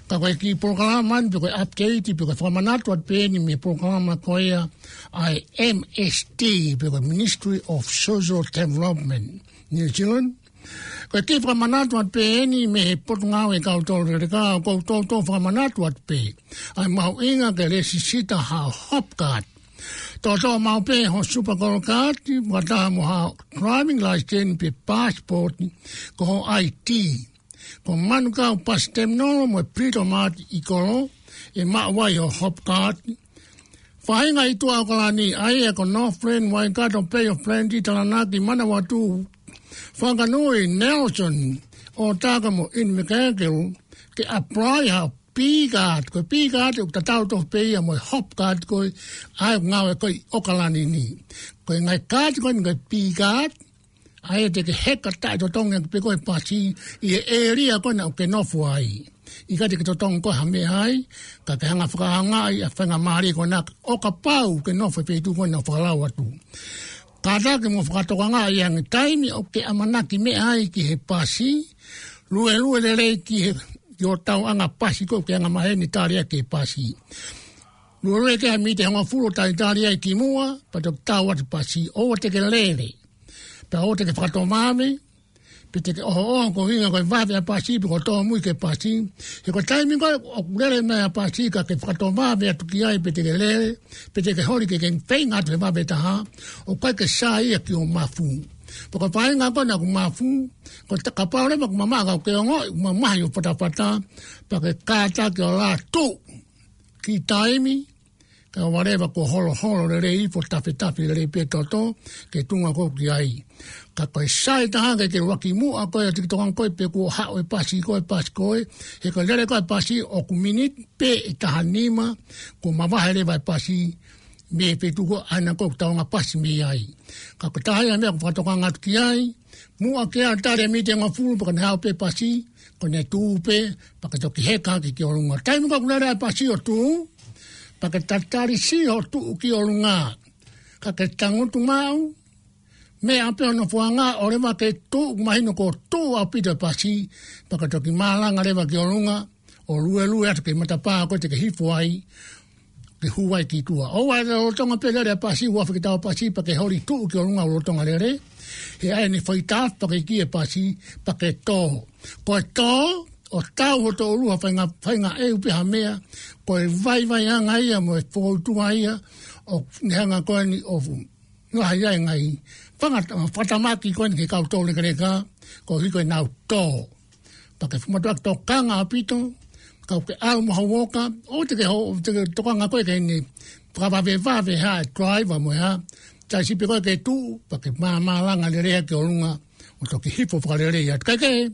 Ka ko e kiʻi polokalama ni pe ko e update pe ko e fakamanatu atu pē eni mei he polokalama ko ia ʻa e M S D pe ko e Ministry of Social Development New Zealand. Ko e kiʻi fakamanatu atu pē eni mei he Potungāue ʻa e Kau Tolu Leleka, ʻoku ou toutou fakamanatu atu pē ʻa e mahuʻinga ke lēsisita haʻo Hopcard. Toʻotoʻo maʻu pē ho Super Gold Card, fakataha mo haʻo driving license pe passport, ko ho I D. Ko Manukau Bus Terminal mo e Freedom Mart ʻi kolo, ʻe maʻu ai ho Hopcard. Faʻahinga ʻi tuʻa ʻOkalani, ʻa ia ko Northland, Waikato, Bay of Plenty, Taranaki, Manawatū, Whanganui, Nelson, ʻOtaka mo ʻIniwekēkelu, ke apply ha P card, ko e P card ʻoku tatau tofu pē ia mo e hop card ko ē ʻa e ngāue ko ē ʻi ʻOkalani ni. Ko e ngaahi card ko eni ko e P card, ʻa ia te ke heka taʻetotongi ʻaki pē ko ē pasi ʻi he ʻēlia ko ena ʻoku ke nofo ai. ʻIkai te ke totongi ko ē ha meʻa ai, ka ke hanga fakaʻaongaʻi ʻa e faingamālie ko ena ʻo kapau ke nofo he feituʻu ko ena ʻoku fakalao atu. Kātaki mo fakatokangaʻi ange taimi ʻoku ke ʻamanaki meʻa ai ki he pasi, luelue lelei ki he, ki hoʻo tauʻanga pasi ko ē ʻoku ke anga maheni tali ai ki he pasi. Luelue ki he miniti ʻe hongofulu talitali ai ki muʻa, pea toki tau atu pasi, ʻoua te ke lele. Pea ʻoua te ke fakatomami, pe te ke ʻohoʻoho ko e ʻuhinga ko e vave ʻa e pasi, pe ko e tōmui ki he pasi. He ko e taimi ko ē ʻoku lele mai ʻa e pasi, ka ke fakatomami atu ki ai, pe te ke lele, pe te ke holi ke ke feinga atu he vave taha, ʻoku ʻikai ke sai ia ki hoʻo mafu. Pea ko e faʻahinga ko ena ʻoku mafu, ko e ta-, kapau leva ʻoku mamaʻo ka ʻoku ke ongoʻi ʻoku mamahi hoʻo fatafata, pea ke kātaki ʻo lā tuʻu ki taimi, kae ʻoua leva kuo holoholo lelei ifo, tafetafe lelei pē toto ki he tuʻunga ko ē ʻoku ke ʻi ai. Ka ko e sai taha ke ke ʻuluaki muʻa ko ē ʻo tiki tokanga ko ē pe kuo haʻu e pasi ko ē, pasi ko ē, he ko e lele ko ē ʻa e pasi ʻoku miniti pē ʻe taha nima kuo mavahe leva e pasi mei he feituʻu ko ē ʻa ena ko ē ʻoku tauʻanga pasi mei ai. Ka ko e taha ia e meʻa ʻoku fakatokanga atu ki ai, muʻa ke ʻā tali e miniti ʻe hongofulu pea ka ne haʻu pē pasi, ko ʻene tuʻu pē, pea ke toki heka hake ki ʻolunga. Taimi ko ē ʻoku lele ai e pasi ʻo tuʻu, pea ke tatali siʻi hoʻo tuʻu ki ʻolunga. Ka ke tangutu maʻu, meʻa pē hono founga, ʻoua leva ke tuʻu, mahino kuo tuʻu ʻaupito e pasi, pea ke toki malanga leva ki ʻolunga, ʻo luelue atu ki he matapā ko ē te ke hifo ai, ke hū ai ki tuʻa. ʻOua ʻe lolotonga pē lele ʻa e pasi, ua fiki tau pasi, pea ke holi tuʻu ki ʻolunga ʻo lolotonga lele. He ʻai ʻene faitā, pea ke ʻikai e pasi, pea ke tō. Ko e tō, ʻo tau hoto ʻulu ha faʻahinga, faʻahinga ʻeu pe ha meʻa, ko e vaivaiʻanga ia mo e fōtunga ia, ʻoku ne hanga ko eni ʻo fu-, ngaohi ai e ngaahi fanga-, fakatamaki ko eni ki he kau toulekeleka, koeʻuhi ko ʻenau tō. Pea ke fuʻu mātuʻaki tokanga ʻaupito, ka ʻoku ke ʻalu mo ha uoka, ʻoua te ke ho-, te ke tokanga ko ē ke ne fakavavevave ha e driver mo e hā, taimi siʻi pē ko ē ke tuʻu, pea ke mā-, malanga lelei ki ʻolunga, ʻo toki hifo fakalelei atu. Kae kehe,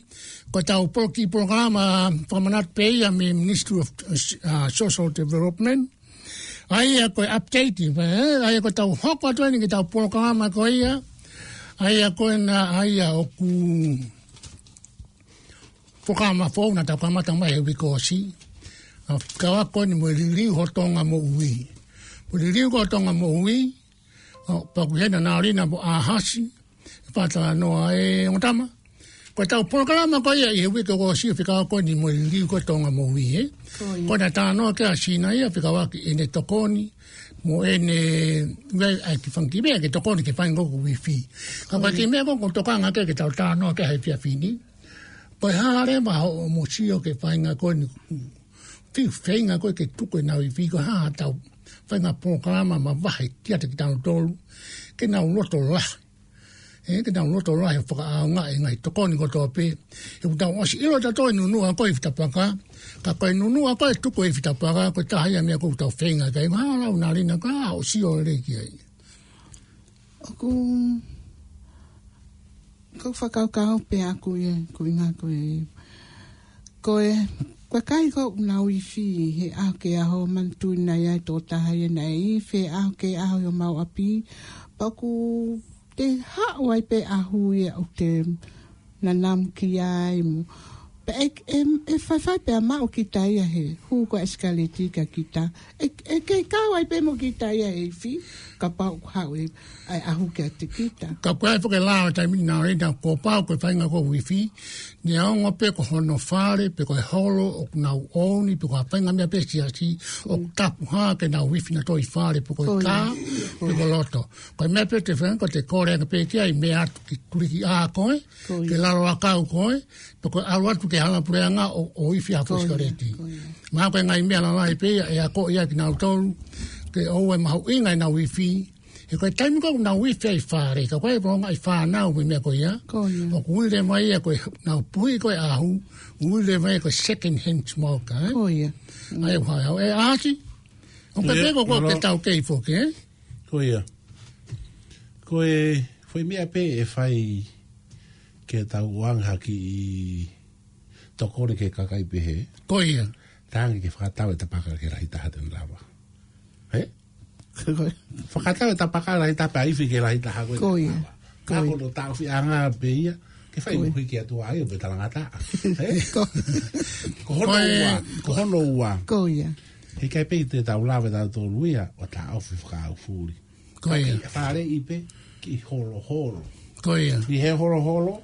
ko ʻetau poloki-, polokalama fakamanatu pē ia mei he Ministry of, uh, Social Development, ʻa ia ko e update, ē, ʻa ia ko ʻetau hoko atu eni ki heʻetau polokalama ko ia, ʻa ia ko ena, ʻa ia ʻoku polokalama foʻou naʻa tau kamata mai he uike kuo ʻosi. ʻA, fekauʻaki ko eni mo e liliu ho Tonga moʻui. Mo e liliu ko ē ho Tonga moʻui, ʻa, pea ʻoku ʻi heni ʻa Nalina mo ʻAhasi, ʻe fakatalanoa ʻe ongo tama. Ko ʻetau polokalama ko ia ʻi he uike kuo ʻosi ʻoku fekauʻaki ko eni mo e liliu ko ē ho Tonga moʻui, ē. Ko ia. Ko ʻena talanoa ki ai ʻa Sina ia fekauʻaki ʻene tokoni, mo ʻene, ʻai, ʻai ke fanga kiʻi meʻa ke tokoni ki he faʻahinga ko ē ko e uifi. Ka ko e kiʻi meʻa ko ē ʻoku tokanga ki ai ke tau talanoa ki ai he efiafi ni. Ko e hā leva hoʻomo sio ki he faʻahinga ko eni, fiu feinga ko ē ke tuku ʻenau uifi, ko e hā haʻatau faʻahinga polokalama mavahe kiate kitautolu, ke nau loto lahi. Ē, ke nau loto lahi ʻo fakaʻaongaʻi e ngaahi tokoni kotoa pē. He ʻoku tau ʻosi ʻilo ʻe tautolu e nunuʻa ko ē ʻi Fitapaka. Ka ko e nunuʻa ko ē ʻe tuku ʻi Fitapaka, ko e taha ia e meʻa ʻoku tau feinga ki ai. Mahalo ʻa Nalina ka ʻosi ʻo lele ki ai. ʻOku, ʻoku ou fakakaukau pē ʻaʻaku ia, ko e ʻuhinga ko e, ko e, ko e kakai ko ē ʻoku nau uifi he ʻaho ki he ʻaho, manatuʻi naʻe ʻi ai e tokotaha ia naʻe uifi he ʻaho ki he ʻaho ʻi homau ʻapi. Pea ʻoku toe haʻu ai pē ʻahu ia ʻoku te nanamu ki ai mo. Pea ʻe, ʻe, ʻe faifai pē ʻa maʻu kita ia he hū ko ē ʻa e ʻesikaleti kia kita. ʻE, ʻe kei kau ai pē mo kita ia he uifi, kapau ʻoku haʻu e, ʻa e ʻahu kiate kita. Ka ko e foʻi lao ʻa e taimi ni Nalina, kuo pau ko e faʻahinga ko ē uifi, neongo pē ko hono fale, pe ko e holo ʻoku nau ʻouni, pe ko ha faʻahinga meʻa pē siasi, ʻoku tapu hā ke nau uifi nautolu ʻi fale, pe ko e kā, pe ko loto. Ko e meʻa pē te faʻahinga ko ē te kole ange pē ki ai, meʻa atu ki Tulikiʻā ko ē, ke lalo ʻakau ko ē, pe ko e ʻalu atu ki he hala puleʻanga ʻo, ʻo uifi ha foʻi ʻesikaleti. Mahalo ko e ngaahi meʻa lalahi pē ia ʻe akoʻi ai kinautolu, ke ʻoua ʻe mahuʻinga ʻenau uifi. He ko e taimi ko ē ʻoku nau uifi ai ʻi fale, ka ko e ʻai pē ʻo ngaahi fānau mo e meʻa ko ia. ʻOku ui leva ia ko e, nau puhi ko ē ʻahu, ui leva ia ko e second hand smoker, ē? ʻA ia ʻoku hā, ʻe ʻAhasi, ʻOku pehē ko ē ke tau kei foki, ē? Ko ia. Ko e foʻi meʻa pē ʻe fai ke tau ʻoange ha kiʻi tokoni ki he kakai pehē. Ko ia. Talaange ke fakatau e tapaka ki he lahi taha te ne lava. Ē? Ko ia. Fakatau e tapaka lahi taha pea ifi ki he lahi taha ko ē. Ko ia. Ka ko ia. Ko hono taʻofiʻanga pē ia, ke fai moʻui ki he ʻOtua ia pe talangataʻa. Ē? Ko, ko hono ua, ko hono ua. Ko ia. He ʻikai pē te tau lava ʻe tautolu ia ʻo taʻofi fakaʻaufuli. Ko ia. Ka ke faleʻi pē ki holoholo. Ko ia. ʻI he holoholo,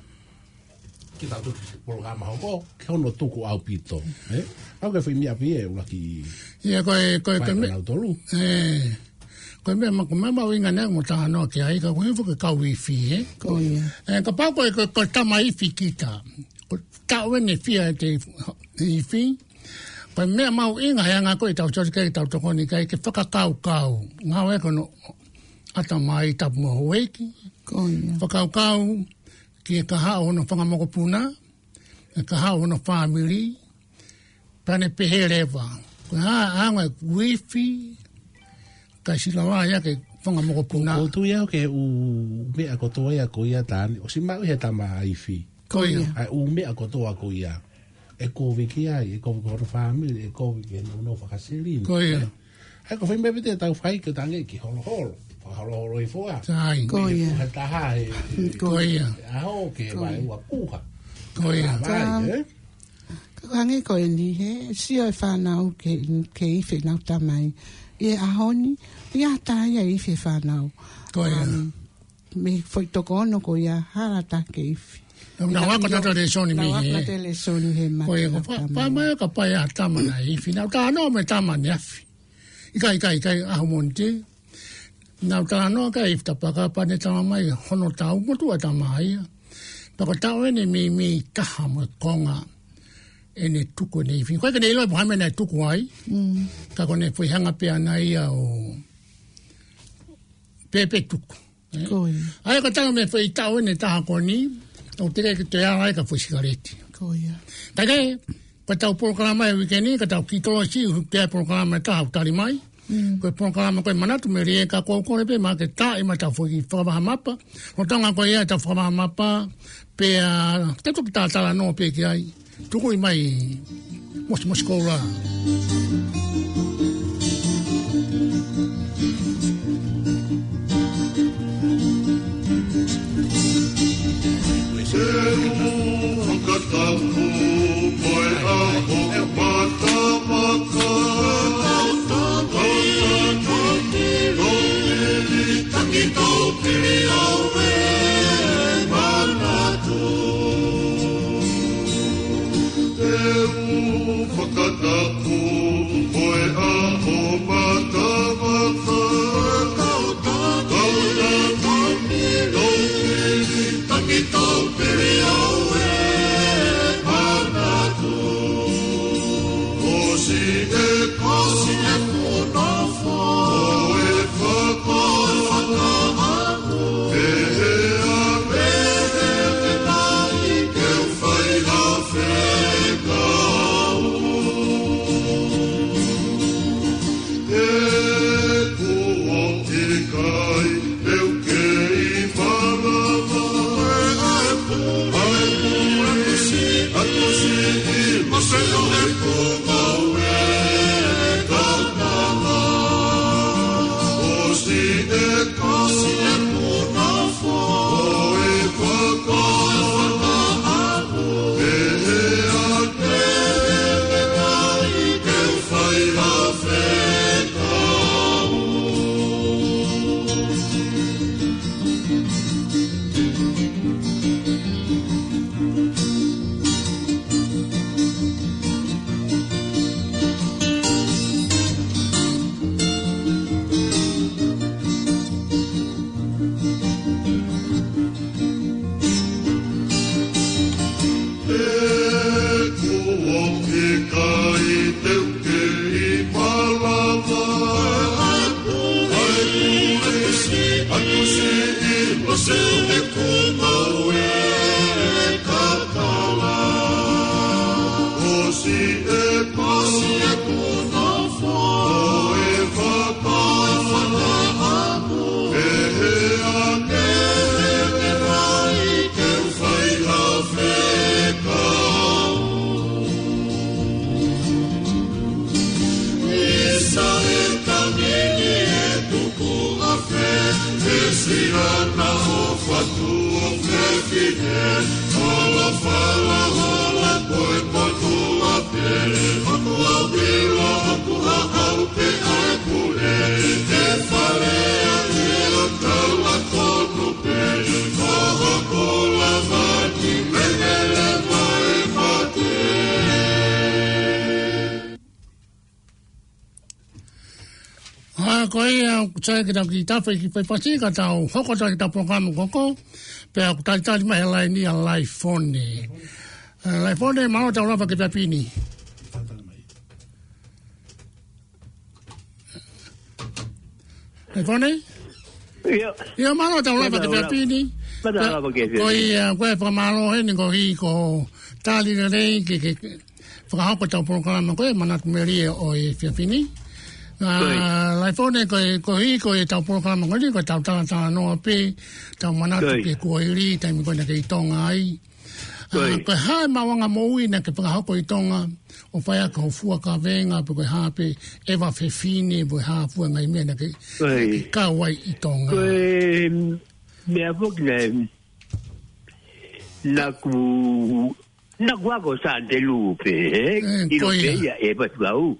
ke tau tuku polokalama hoko, ke hono tuku ʻaupito, ē? ʻOku ke fai meʻa pē ia ʻe ʻuluaki. Ia, ko e, ko e, ko e meʻa, nautolu. Ē, ko e meʻa ma-, ko e meʻa mahuʻinga ʻeni mo talanoa ki ai, ka ko e hifo ke kau ifi, ē? Ko ia. Ē, kapau ko e, ko e, ko e tama ifi kita. Ko e taʻu ʻeni ʻe fiha ʻete ifi. Ko e meʻa mahuʻinga he anga ko ē ʻetau sio ki ai, ʻetau tokoni ki ai, ke fakakaukau. Ngāue ko hono ʻatamai tapu mo houʻeiki. Ko ia. Fakakaukau ki he kahaʻu hono fanga mokopuna, e kahaʻu hono fāmili, pea ne pehē leva. Ko e hā, hanga ʻe he ifi, kae sila lava ia ki he fanga mokopuna. ʻOku ou tui au ki he ʻū meʻa kotoa ia ko ia Tani, ʻosi maʻu ʻe he tama ifi. Ko ia. ʻA e ʻū meʻa kotoa ko ia. ʻE kovi ki ai, ʻe kovi ki hono fāmili, ʻe kovi ki he nounou fakasilini. Ko ia. ʻA ia ko e foʻi meʻa pē te tau fai ke tangi ki holoholo. Fakaholoholo hifo ā. Sai. Ko ia. He puha taha he, he, ko ia, he ʻaho ke, ko ia, vaeua puha. Ko ia. Ka, vai, ē? Ka hangē ko eni he sio e fānau ke, ke ifi ʻenau tamai. ʻI he ʻaho ni, ʻi ai ha taha ia ʻe ifi e fānau. Ko ia. Um, mei he foʻi toko ono ko ia, hala taha ke ifi. Naʻa, naʻa ku ako ʻa e lēsoni mei he, naʻa ku ako ʻa e lēsoni he mata. Ko ia, ko e fa-, tama. Fa mai ka pai ha tama naʻe ifi. Naʻa ku talanoa mo e tama ʻaneafi. ʻIkai, ʻikai, ʻikai, ʻaho Mōnite. Naʻa ku talanoa ki ai ifi tapaka pea ne talamai hono taʻu motuʻa tama ia. Pea ko e taʻu ʻeni meimei taha mo e konga ʻene tuku ʻene ifi. ʻOku ʻikai ke ne ʻilo pe ko e hā e meʻa naʻe tuku ai. Mm. Ka ko ʻene foʻi hanga pē ʻana ia ʻo pēpē tuku. Ko ia. ʻA ia ka tau mei he foʻi taʻu ʻeni ʻe taha ko eni, ʻoku teʻeki ke toe ala ai ka foʻi sikaleti. Ko ia. Ka ke, ko ʻetau polokalama ʻi he uike ni, ka tau kiʻi tolosi, ʻoku ʻi ai e polokalama ʻe taha ʻoku tali mai. Mm. Ko e polokalama ko e Manatu Melie, ka ʻoku ou kole pē maʻa ke tā ʻi maʻa ʻetau foʻi fakavahamapa. Lolotonga ko ia ʻetau fakavahamapa, pea, te u toki talanoa pē ki ai. Tukuʻi mai, Mosimosi Koula. Te u fakatapu mo e ʻaho matamata. Tangi tau pili au e manatu. Te u fakatapu mo e ʻaho matamata. Kau tau pili, tangi tau pili au e manatu. ʻOsi e, ʻosi e puna fo, ʻo e faka, fakaʻamu. Pehē ā, pehē ā, pehē ā, ke u fai ha fekau. He kuo ʻikai te u kei malava. ʻAi, ʻai, ʻai, ʻai, ʻai, ʻai, ʻai, ʻai, ʻai, ʻai, ʻai, ʻai, ʻai, He kuo ʻikai te u kei malava. ʻAi, ʻai, ʻai, ʻai, ʻai, ʻai, ʻai, ʻai, ʻai, ʻai, ʻosi e, ʻosi e puna fo, ʻo e fa, Pihana o fatu o fefine, hola fala, hola koe potu a pe, o tua pila, o tua au pe ai pule, e fale a e o tau a kono pe, o ho kola vani, mengele mai mate. ʻA, ko ia, ʻoku sai ke tau kiʻi tafe ki faifasi, ka tau hoko atu ki heʻetau polokalama ko ē, pea ʻoku talitali mai he laini ʻa Laifone. ʻE, Laifone, mālō tau lava ki he efiafi ni. Laifone? ʻIo. ʻIo, mālō tau lava ki he efiafi ni. Mālō tau lava ki he efiafi ni. Ko ia, ko e fakamālō heni ko hi ko tali lelei ke, ke, fakahoko ʻetau polokalama ko e Manatu Melie ʻo e efiafi ni. ʻA, Laifone, ko e, ko hi ko ʻetau polokalama ko eni, ko ʻetau talatalanoa pē, tau manatu ki he kuohili, taimi ko ē naʻe kei ʻi Tonga ai. ʻA, ko e hā e maʻuʻanga moʻui naʻa ke fakahoko ʻi Tonga, ʻo fai ʻaki hoʻo fua kavenga, pe ko e hā pē, ʻeva fefine, pe ko e hā fua ngaahi meʻa naʻa ke, ke kau ai ʻi Tonga. Ko e meʻa foki naʻe, naʻa ku naʻa ku ako Sāteki pē, ē? ʻIlo pē ia ʻe Patukau.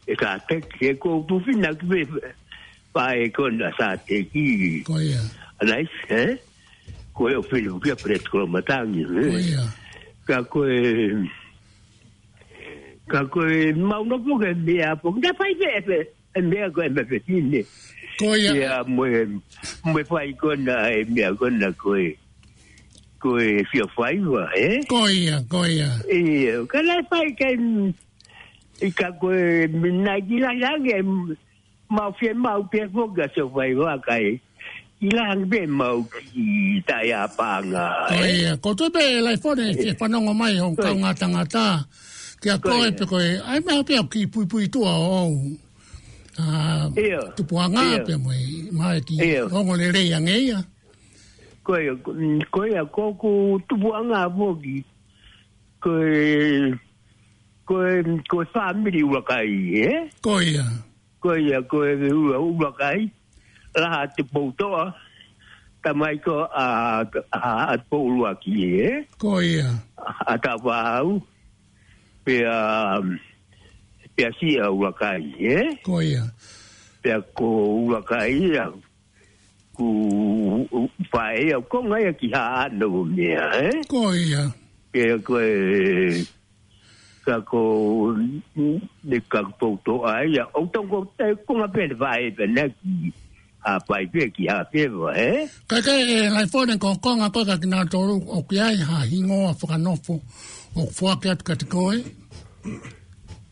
ʻE Sāteki, ʻe ko tuʻu fina ki pē, pea ko ena Sāteki. Ko ia. ʻAnai, ē? Ko e ʻofele kia Fred Kolomatangi, ē? Ko ia. Ka ko e, ka ko e mau nofo ke meʻa pō, naʻa fai pē, pē, e meʻa ko e meʻa fefine. Ko ia. Ia mo e, mo e fai ko ena, e meʻa ko ena ko e, ko e fio faiva, ē? Ko ia, ko ia. Ia, ka naʻe fai ke, ʻi ka ko e minaki la lange, mau fie mau pē foki ʻa e fio faiva kai. ʻI lange pē mau ki tai a panga, ē? Ko ia, ko tu pē Laifone, fie fanongo mai ho kau ngata ngata. Kia ko e pe ko e, ai meʻa pē au ki puipuitua ʻo ʻA, tupuʻanga pē mo e, mai ki ongo lelei ange ia. Ko ia, ko ia, ko ʻeku tupuʻanga foki. Ko e, ko e, ko e fāmili ʻUluakai, ē? Ko ia. Ko ia, ko e ʻUlua-, ʻUluakai. Laha Tupoutoʻa. Tamai ko ʻa, ʻa, ʻa Tupou ʻUluaki, ē? Ko ia. ʻA Tavau. Pea, pea siʻa ʻUluakai, ē? Ko ia. Pea ko ʻUluakai ia, ko e faʻē ia, ko e ngaahi ki ha ano meʻa, ē? Ko ia. Pea ko e, ka ko, ne ka Tupoutoʻa ia, ʻo tongo te ko ngā pē faʻē pē naʻe ki ha pai pē ki ha peva, ē? Ka ke, ʻe, Laifone, ko e konga ko ē ka kinautolu ʻoku ʻi ai ha hingoa fakanofo ʻoku foaki atu kiate koe?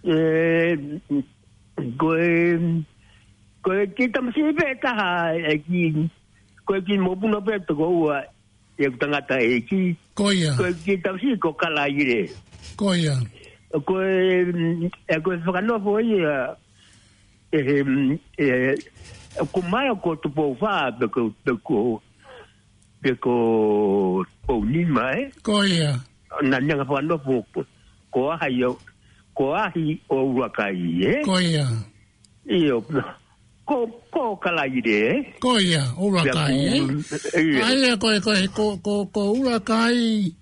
ʻE, ko e, ko e kiʻi tamasiʻi pē taha, ʻe ki, ko e kiʻi mokopuna pē toko ua, ʻeku tangataʻeiki. Ko ia. Ko e kiʻi tamasiʻi ko Kalaile. Ko ia. Ko e, ʻe, ko e fakanofo ia, ʻe, ʻe, ʻe, ko mai ko Tupou Fā, pe ko, pe ko, pe ko Tupou Nima, ē? Ko ia. Naʻa ne hanga fakanofo ko, ko Ahi ʻo, ko Ahi ʻo ʻUluakai, ē? Ko ia. ʻIo, ko, ko Kalaile, ē? Ko ia, ʻUluakai, ē? ʻIo. ʻA ia, ko e, ko e, ko, ko, ko ʻUluakai,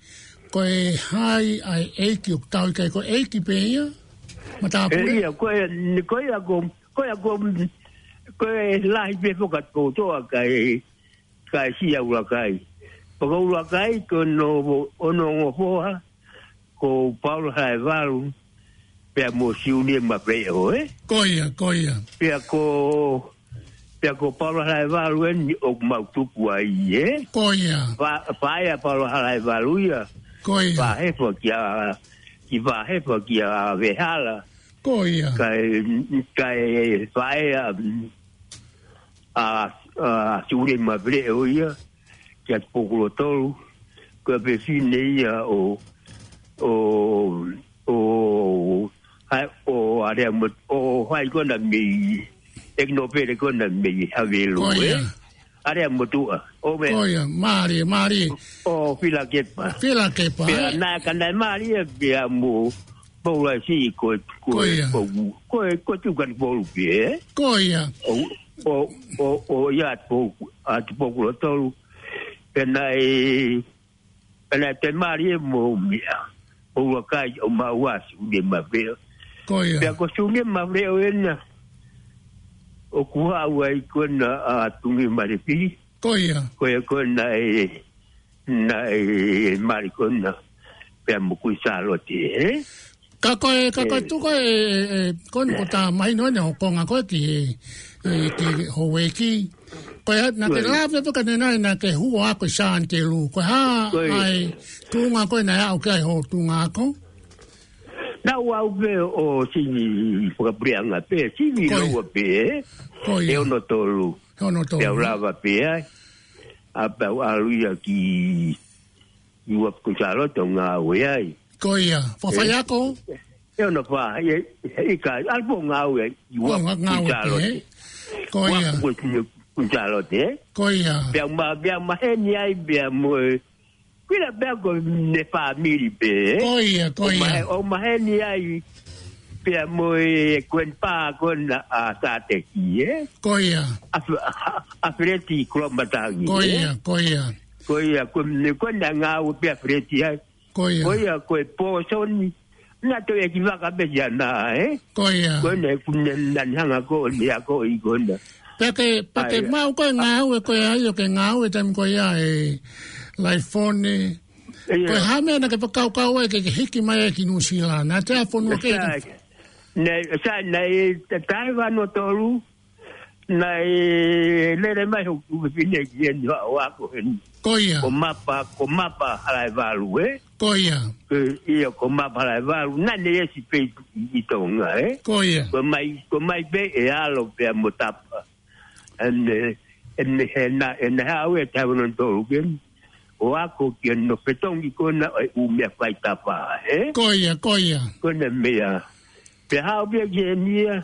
ko e hā ʻa e ʻeiki ʻoku tau ʻi ai, ko e ʻeiki pē ia? Matāpule? ʻE, ʻio, ko e, ko ia ko, ko ia ko, ko e lahi pē foki ʻa Tupoutoʻa kae, kae siʻa ʻUluakai. Pea ko ʻUluakai ko hono, hono ongo foha, ko Paula Halaevalu, pea mo Siunia Mafeo, ē? Ko ia, ko ia. Pea ko, pea ko Paula Halaevalu eni ʻoku mau tupu ai, ē? Ko ia. Fa-, faʻē ʻa Paula Halaevalu ia. Ko ia. Fahefa kia, ki fahefa kia Vehala. Ko ia. Kae, kae faʻē ʻa, ʻa, ʻa Siunia Mafeo ia, kia Tupou Kolotolu, ko e fefine ia ʻo, ʻo, ʻo, hai, ʻo Alea Mot-, ʻo hai ko ena mei, ʻeku nofele ko ena mei Havelu, ē? Ko ia. Alea Motuʻa, ʻo me. Ko ia, mālie, mālie. ʻO Filakepa. Filakepa, ē? Pea naʻe ka naʻe mālie pea mo Paula siʻi ko, ko, ko ia. Ko, ko, ko Tukani Polu pē, ē? Ko ia. ʻO, ʻo, ʻo, ʻo ia Tupou ʻa Tupou Kulo Tolu. Pea naʻe, pea naʻe toe mali ʻe mo mia. ʻO ua kai ʻo maua Sune Maveo. Ko ia. Pea ko Sune Maveo ena, ʻoku haʻu ai ko ena ʻa Tungi Malefi. Ko ia. Ko ia ko ena ē, naʻe mali ko ena pea mo Kuini Sālote, ē? Ka ko e, ka ko e tuku e, e, e, ko ena ko tā mai noa ne ho konga ko e ki, e, e, ki Houʻeiki. Ko e, naʻa ke lave pē ka ne nai naʻa ke hū ʻo ako ʻi Sāni Telū. Ko e hā ai tuʻunga ko ē naʻe aʻu ki ai ho tuʻunga ako? Naʻa ku aʻu pē ʻo sivi fakapuleʻanga pē, sivi loa pē, ē? Ko ia. ʻE ono tolu. ʻE ono tolu. Pea u lava pē ai. ʻA pea u ʻalu ia ki, ki ua Kuini Sālote ʻo ngāue ai. Ko ia. Fafai ako? ʻE ono fā, ʻe, ʻe ʻikai, ʻalu pē ʻo ngāue ai. ʻO ngāue pē, ē? Ko ia. Kuini Sālote, ē? Ko ia. Pea u ma, pea u maheni ai, pea mo e Kuini pea ko ʻene fāmili pē, ē? Ko ia, ko ia. ʻO mahe, ʻo maheni ai pea mo e Kuini pā ko ena ʻa Sāteki, ē? Ko ia. ʻA F-, ʻa, ʻa Feleti Kulomatangi, ē? Ko ia, ko ia. Ko ia, ko ʻene, ko ʻene ngāue pē ʻa Feleti ai. Ko ia. Ko ia, ko e pōsoni. Naʻa toe ʻi he vaka pē ia na, ē? Ko ia. Ko ʻene, ko ʻene, naʻa ne hanga ko ʻene ako ʻi ko ena. Pea ke, pea ke maʻu ko e ngāue ko ē ai ʻo ke ngāue taimi ko ia ē Laifone. Ko e hā meʻa naʻa ke fakakaukau ai ke, ke hiki mai ai ki Nuʻusila? Naʻa te ʻa fonua ke. Sai, ne, sai, naʻe, taʻu ua noa tolu, naʻe lele mai hoku fefine ki heni ʻo ako heni. Ko ia. Ko Mapa, ko Mapa Halaevalu, ē? Ko ia. Ko ia, ko Mapa Halaevalu, naʻa ne ʻi ai e sipi ʻi, ʻi Tonga, ē? Ko ia. Ko mai, ko mai pē ʻe ʻAlo pea mo Tapa. ʻEne, ʻene hena, ʻene haʻu ʻi he taʻu ono tolu ke ʻo ako ki hono fetongi ko ena ʻo e ʻū meʻa fai tapa, ē? Ko ia, ko ia. Ko ʻene meʻa. Pea haʻu pē ki heni ia,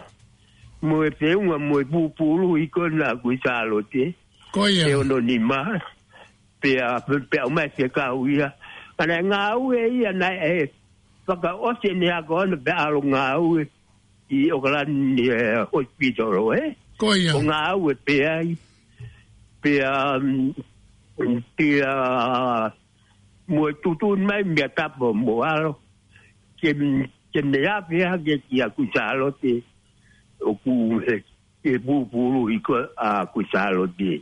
mo e feʻunga, mo e pūpulu ʻi ko ena ʻa Kuini Sālote. Ko ia. ʻE ono nima. Pea, pea ʻomai fekau ia. Ka naʻe ngāue ia naʻe fakaʻosi ʻene ako ʻana pea ʻalu ngāue ʻi ʻOkalani, ē, hospital, ē? Ko ia. ʻO ngāue pē ai. Pea, mm, pea, mo e tuʻutuʻuni mai meʻa tapa mo ʻAlo. Ke, ke ne ʻave hake kia Kuini Sālote. ʻOku he, he pūpulu ʻi ko ē ʻa Kuini Sālote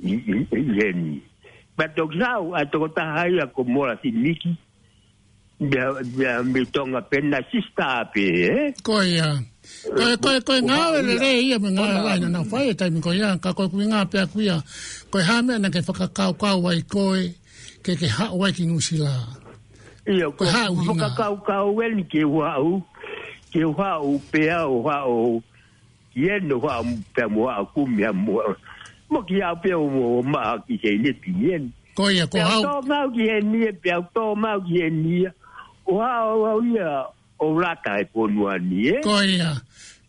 ʻi, ʻi, ʻi heni. Pea toki haʻu ʻa e tokotaha ia ko Mola Simiki. Meʻa, meʻa, mei Tonga pē naʻe sisitā pē, ē? Ko ia. Ko e, ko e, ko e ngāue lelei ia mo e ngāue lahi naʻa nau fai he taimi ko ia, ka ko e ʻuhinga pē ʻaku ia, ko e hā meʻa naʻa ke fakakaukau ai koe, ke, ke haʻu ai ki Nuʻusila? ʻIo, ko e hā ʻuhinga? Fakakaukau eni ke u haʻu, ke u haʻu pea u haʻu ki heni ʻo haʻu pea mo haʻu kumi ha mo, mo ki haʻu pea u mo, mo maʻa ki heni pē heni. Ko ia, ko e hā? Pea u tō maʻu ki heni, pea u tō maʻu ki heni ia. ʻO haʻu, haʻu ia ʻo lata he fonua ni, ē? Ko ia.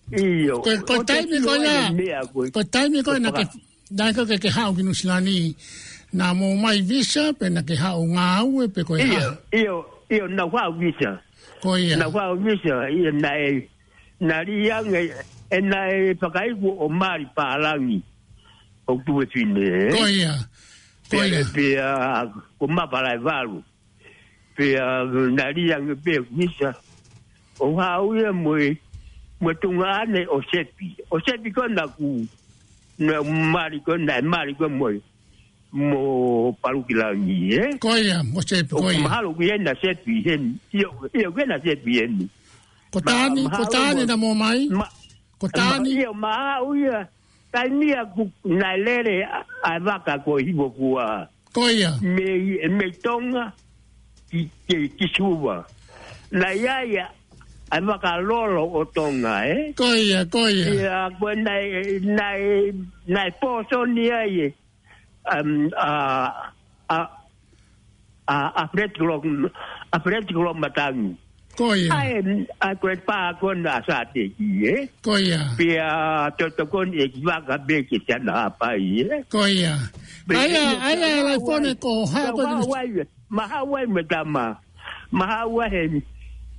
ʻIo. Ko, ko e taimi ko ia, ko e taimi ko ia naʻa ke, naʻa ke, ke, ke haʻu ki Nuʻusila ni, naʻa mou ʻomai visa, pe naʻa ke haʻu ngāue, pe ko e hā? ʻIo, ʻio, ʻio, naʻa ku haʻu visa. Ko ia. Naʻa ku haʻu visa, ʻio, naʻe, naʻe lī ange, ē, naʻe fakaiku ʻo mali pālangi ʻo tuʻu e fine, ē? Ko ia. Ko ia. Pea, pea, ko Mapa Halaevalu. Pea, naʻe lī ange pē visa. ʻO haʻu ia mo e, mo e tuongaʻane ʻo Sepi. ʻO Sepi ko ena ʻoku, naʻe mali ko ena, naʻe mali ko ena mo e, mo Palukilangi, ē? Ko ia, mo Sepi, ko ia. ʻOku mahalo ko ena Sepi heni. ʻIo, ʻio, ko ena Sepi heni. Ko Tani, ko Tani naʻa mou ʻomai? Ko Tani? ʻIo, maʻa ia. Taimi ia ʻoku naʻe lele ʻa, ʻa e vaka ko Hivofua. Ko ia. Mei, mei Tonga ki, ki, ki Suva. Naʻe ʻi ai ʻa e vaka lolo ʻo Tonga, ē? Ko ia, ko ia. Ia, ko e naʻe, naʻe, naʻe pōsoni ai ē. Um, ʻa, ʻa, ʻa, ʻa Feleti Kulo, ʻa Feleti Kulomatangi. Ko ia. ʻA e, ʻa e ko e pā ko ena ʻa Sāteki, ē? Ko ia. Pea tokoni ʻe ki vaka pē ke tana hapai, ē? Ko ia. Pea ʻa ia, ʻa ia, Laifone, ko e hā ko e, maʻa Hauai, maʻa Hauai mo e tama. Maʻa Hauai he,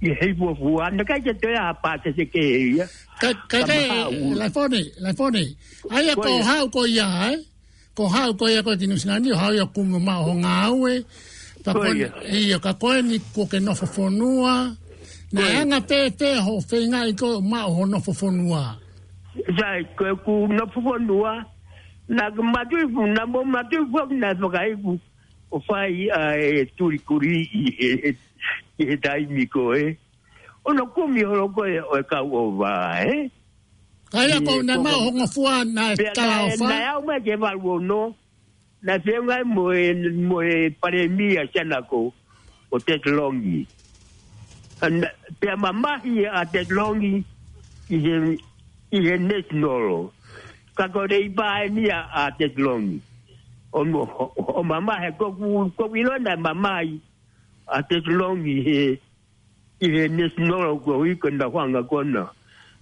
he Hivofua. Naʻe ʻikai ke toe ʻi ai ha pāsese kehe ia. Ka, ka, ka, Laifone, Laifone. ʻA ia ko e hā ko ia, ē? Ko haʻu ko ia ko ē ki Nuʻusila ni, ʻo haʻu ia ʻo kumi ʻo maʻu ho ngāue. Pea Ko ko ia. eni, ʻio, ka ko eni kuo ke nofo fonua. Naʻe Ko ia. anga pē pē hoʻo feingaʻi ko ē ʻo maʻu hoʻo nofo fonua. Sai, ko ʻeku nofo fonua. Naʻa ku matui fu, naʻa mo matui fu, naʻe fakaiku ʻo fai ʻa e tuli kuli ʻi he, ʻi he taimi ko ē. ʻO ne kumi holo ko ē ʻo e kau ʻova, ē? Ka ia ʻIo, ko naʻe ko maʻu ko ho ngofua naʻe Pea tala naʻe, ʻofa. naʻe aʻu mai ki he valu ono, naʻe feʻunga ai mo e, mo e palēmia Sianako, ko Ted Longi. Ana, pea mamahi ʻa Ted Longi ʻi he, ʻi he National. Ka ko e leʻi paeni ʻa, ʻa Ted Longi. ʻO, ʻo, ʻo mamahi, ko ku, ko ku ʻilo naʻe mamahi ʻa Ted Longi he, ʻi he National ko ē ko ena hanga ko ena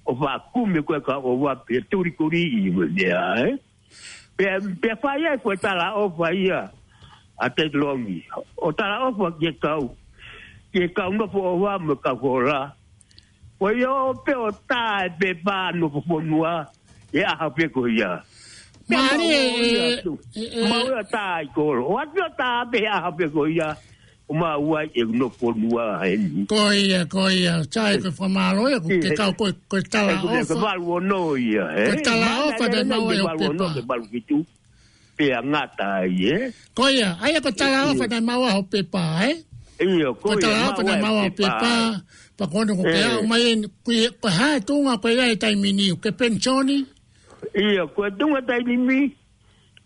ʻo fakakumi ko ē kau ʻova pea tuli kuli ʻi mo mea, ē? Pea, pea fai ai ko e tala ʻofa ia ʻa Ted Longi. ʻO tala ʻofa ki he kau, ki he kau nofo ʻova mo e kau hola. Ko ia ʻo pē ʻo tā e pepa nofo fonua he ʻaho pē ko ia. Pea Mālie, mau ʻo ia ē, atu. ē, ē. Mau ʻo tā ʻi kolo. ʻO atu ʻo tā pē he ʻaho pē ko ia. ʻO maʻu ai e nofo fonua heni. Ko ia, ko ia. Sai, ko e fakamālō ia, ko e Ē. kau ko e, ko e tala ʻOku ne ʻofa. ko e valu ono ia, ē? Ko e tala Mana ʻofa ʻene naʻe maʻu ai e valu ono pepa. ke valu fitu. Pea ngata ai, ē? Ko ia, ʻa ia ko e tala ʻOku ʻofa naʻe maʻu ai ho pepa, ē? ʻIo, Ko ko e ia, tala ʻofa maʻu naʻe ai maʻu ai ho pepa. pepa. Pea ko eni ko ke Ē. aʻu mai eni, ko ia, ko e hā e tuʻunga ko ia he taimi ni, ʻoku ke penisioni? ʻIo, ko e tuʻunga taimi ni,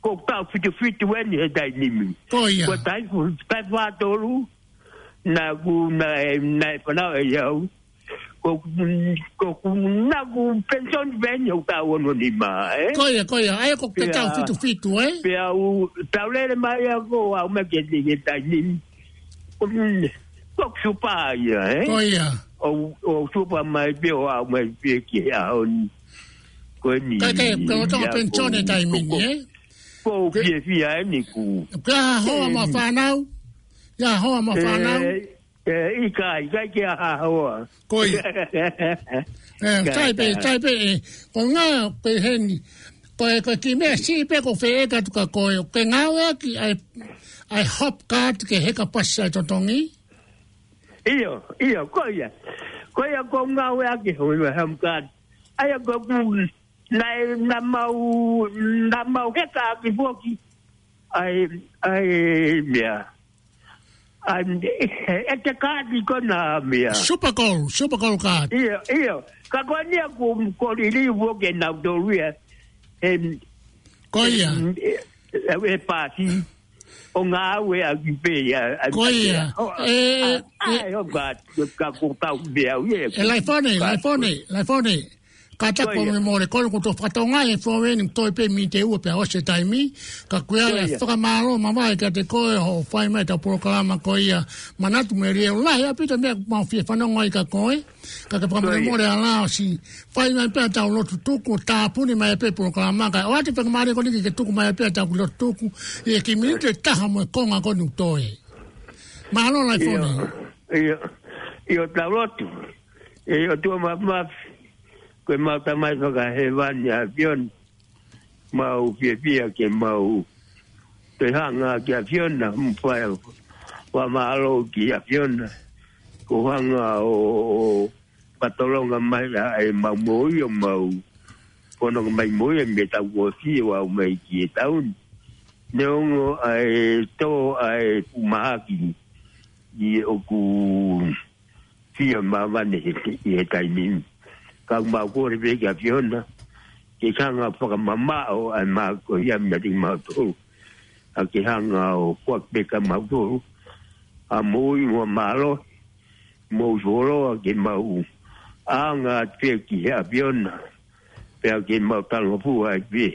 ko e taʻu fitu fitu eni he taimi ni. Ko ia. Ko e taʻu, taʻu fā tolu, naʻa ku, naʻe, naʻe fanauʻi au. Ko, ko, ko, naʻa ku penisioni pē eni ʻoku taʻu ono nima, ē? Ko ia, ko ia. ʻA ia ko e Pea, taʻu fitu fitu, ē? pea u, tau lele mai ia ko au mai ke te ke taimi. Ko, ko e supa ia, ē? Ko ia. ʻO, ʻo supa mai pē ʻo aʻu mai pē ki he ʻaho ni. Ko eni Ka ke, ka o tau ia penisioni ko, taimi ni, ko, ē? ko Ke fiefia eni ku. Ka hoa mo e fānau. Ia hoa mo e fānau. Ē, ʻikai, ʻikai ke ʻi ai ha hoa. Ko ia. Ē, Ka, tai pē, ka. tai pē, ē, ko ngā pē heni. Ko e, ko e kiʻi meʻa siʻi pē ʻoku feʻeka atu kia koe, ʻoku ke ngāueʻaki ʻa e, ʻa e hop card ke heka pasi ʻa e totongi? ʻIo, ʻio, ko ia. Ko ia ʻoku ou ngāueʻaki hono hop card. ʻA ia ko ʻeku, naʻe, naʻa mau, naʻa mau heka ʻaki foki ʻa e, ʻa e meʻa. ʻA e, ʻe te kaati ko ena meʻa. Super Gold, Super Gold card. ʻIo, ʻio. Ka ko eni ia ʻoku, ʻoku liliu foki ʻe nautolu ia. Em, Ko ia. em, e, e, e pasi. ʻO ngāueʻaki pē ia, ʻa, Ko ia. ʻo, ʻE, ʻa, ʻe, ʻa, ʻo ka, ka ko tau meʻa au ia, ʻE Laifone, ka, Laifone, Laifone. Kātaki Ko ia. mo mole, ko eni ʻoku tau fakatonga he fōveni, toe pē miniti ʻe ua pea ʻosi e taimi. Ka ko ia Ko ia. fakamālō mavahe kiate koe hoʻo fai mai ʻetau polokalama ko ia. Manatu melie ʻoku lahi ʻaupito e meʻa ʻoku mau fie fanongo ai kia koe. Ka ke Ko ia. fakamolemole ʻa Laosi. Fai mai pē ʻetau lotu tuku, tāpuni mai pē polokalama. Kae ʻoatu pē ka mālie ko eni ke tuku mai pē ʻetau lotu tuku. ʻI he kiʻi miniti ʻe taha mo e konga ko eni ʻoku toe. Mālō Laifone. ʻIo, ʻio, ʻio, tau lotu. ʻE ʻOtua Māfimafi, ko ʻemau Tamai fakahēvani ʻa e ʻAfiona. Mau fiefia ke mau toe hanga ki he ʻAfiona, mo fai ʻa e fakamālō ki he ʻAfiona. Ko e hanga ʻo, ʻo, ʻo fakatolonga mai ʻa ʻemau moʻui ʻo mau. Ko hono ʻomai moʻui ʻa e meʻa tau ʻosi ʻo aʻu mai ki he taʻu ni. Neongo ʻa e tō ʻa e fuʻu mahaki ʻi he ʻoku fie māmani he, he taimi ni. Ka mau kole pē ki he ʻAfiona, ke hanga fakamamaʻo ʻa e mā ko ia meiate kimautolu. ʻA ke hanga ʻo foaki pē kia mautolu ʻa e moʻui mo e mālohi, moʻui fuoloa ke mau ʻaonga atu pē ki he ʻAfiona. Pea ke mau talangofua ai pē.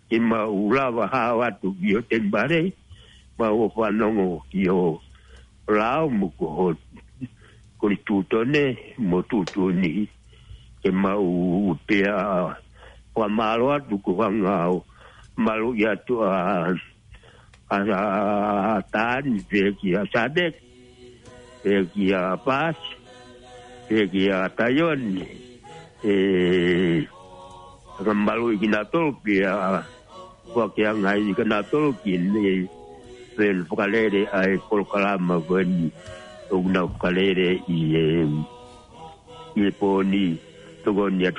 Ke mau lava hao atu ki ho temipale, mau ō fanongo ki ho lao mo ko ho, ko e tuʻutuʻuni, mo tuʻutuʻuni. Ke mau pea fakamālō atu ko e hanga ʻo maluʻi atu ʻa, ʻa, ʻa Tani pea kia Sadek. Pea kia Pasi, pea kia Taioni, ʻe, ka maluʻi kinautolu pea, Ko ke anga ai ka na tolo ki ne fen fakalele ai polokalama ko eni. O na fakalele i e, i e poni. Tokoni atu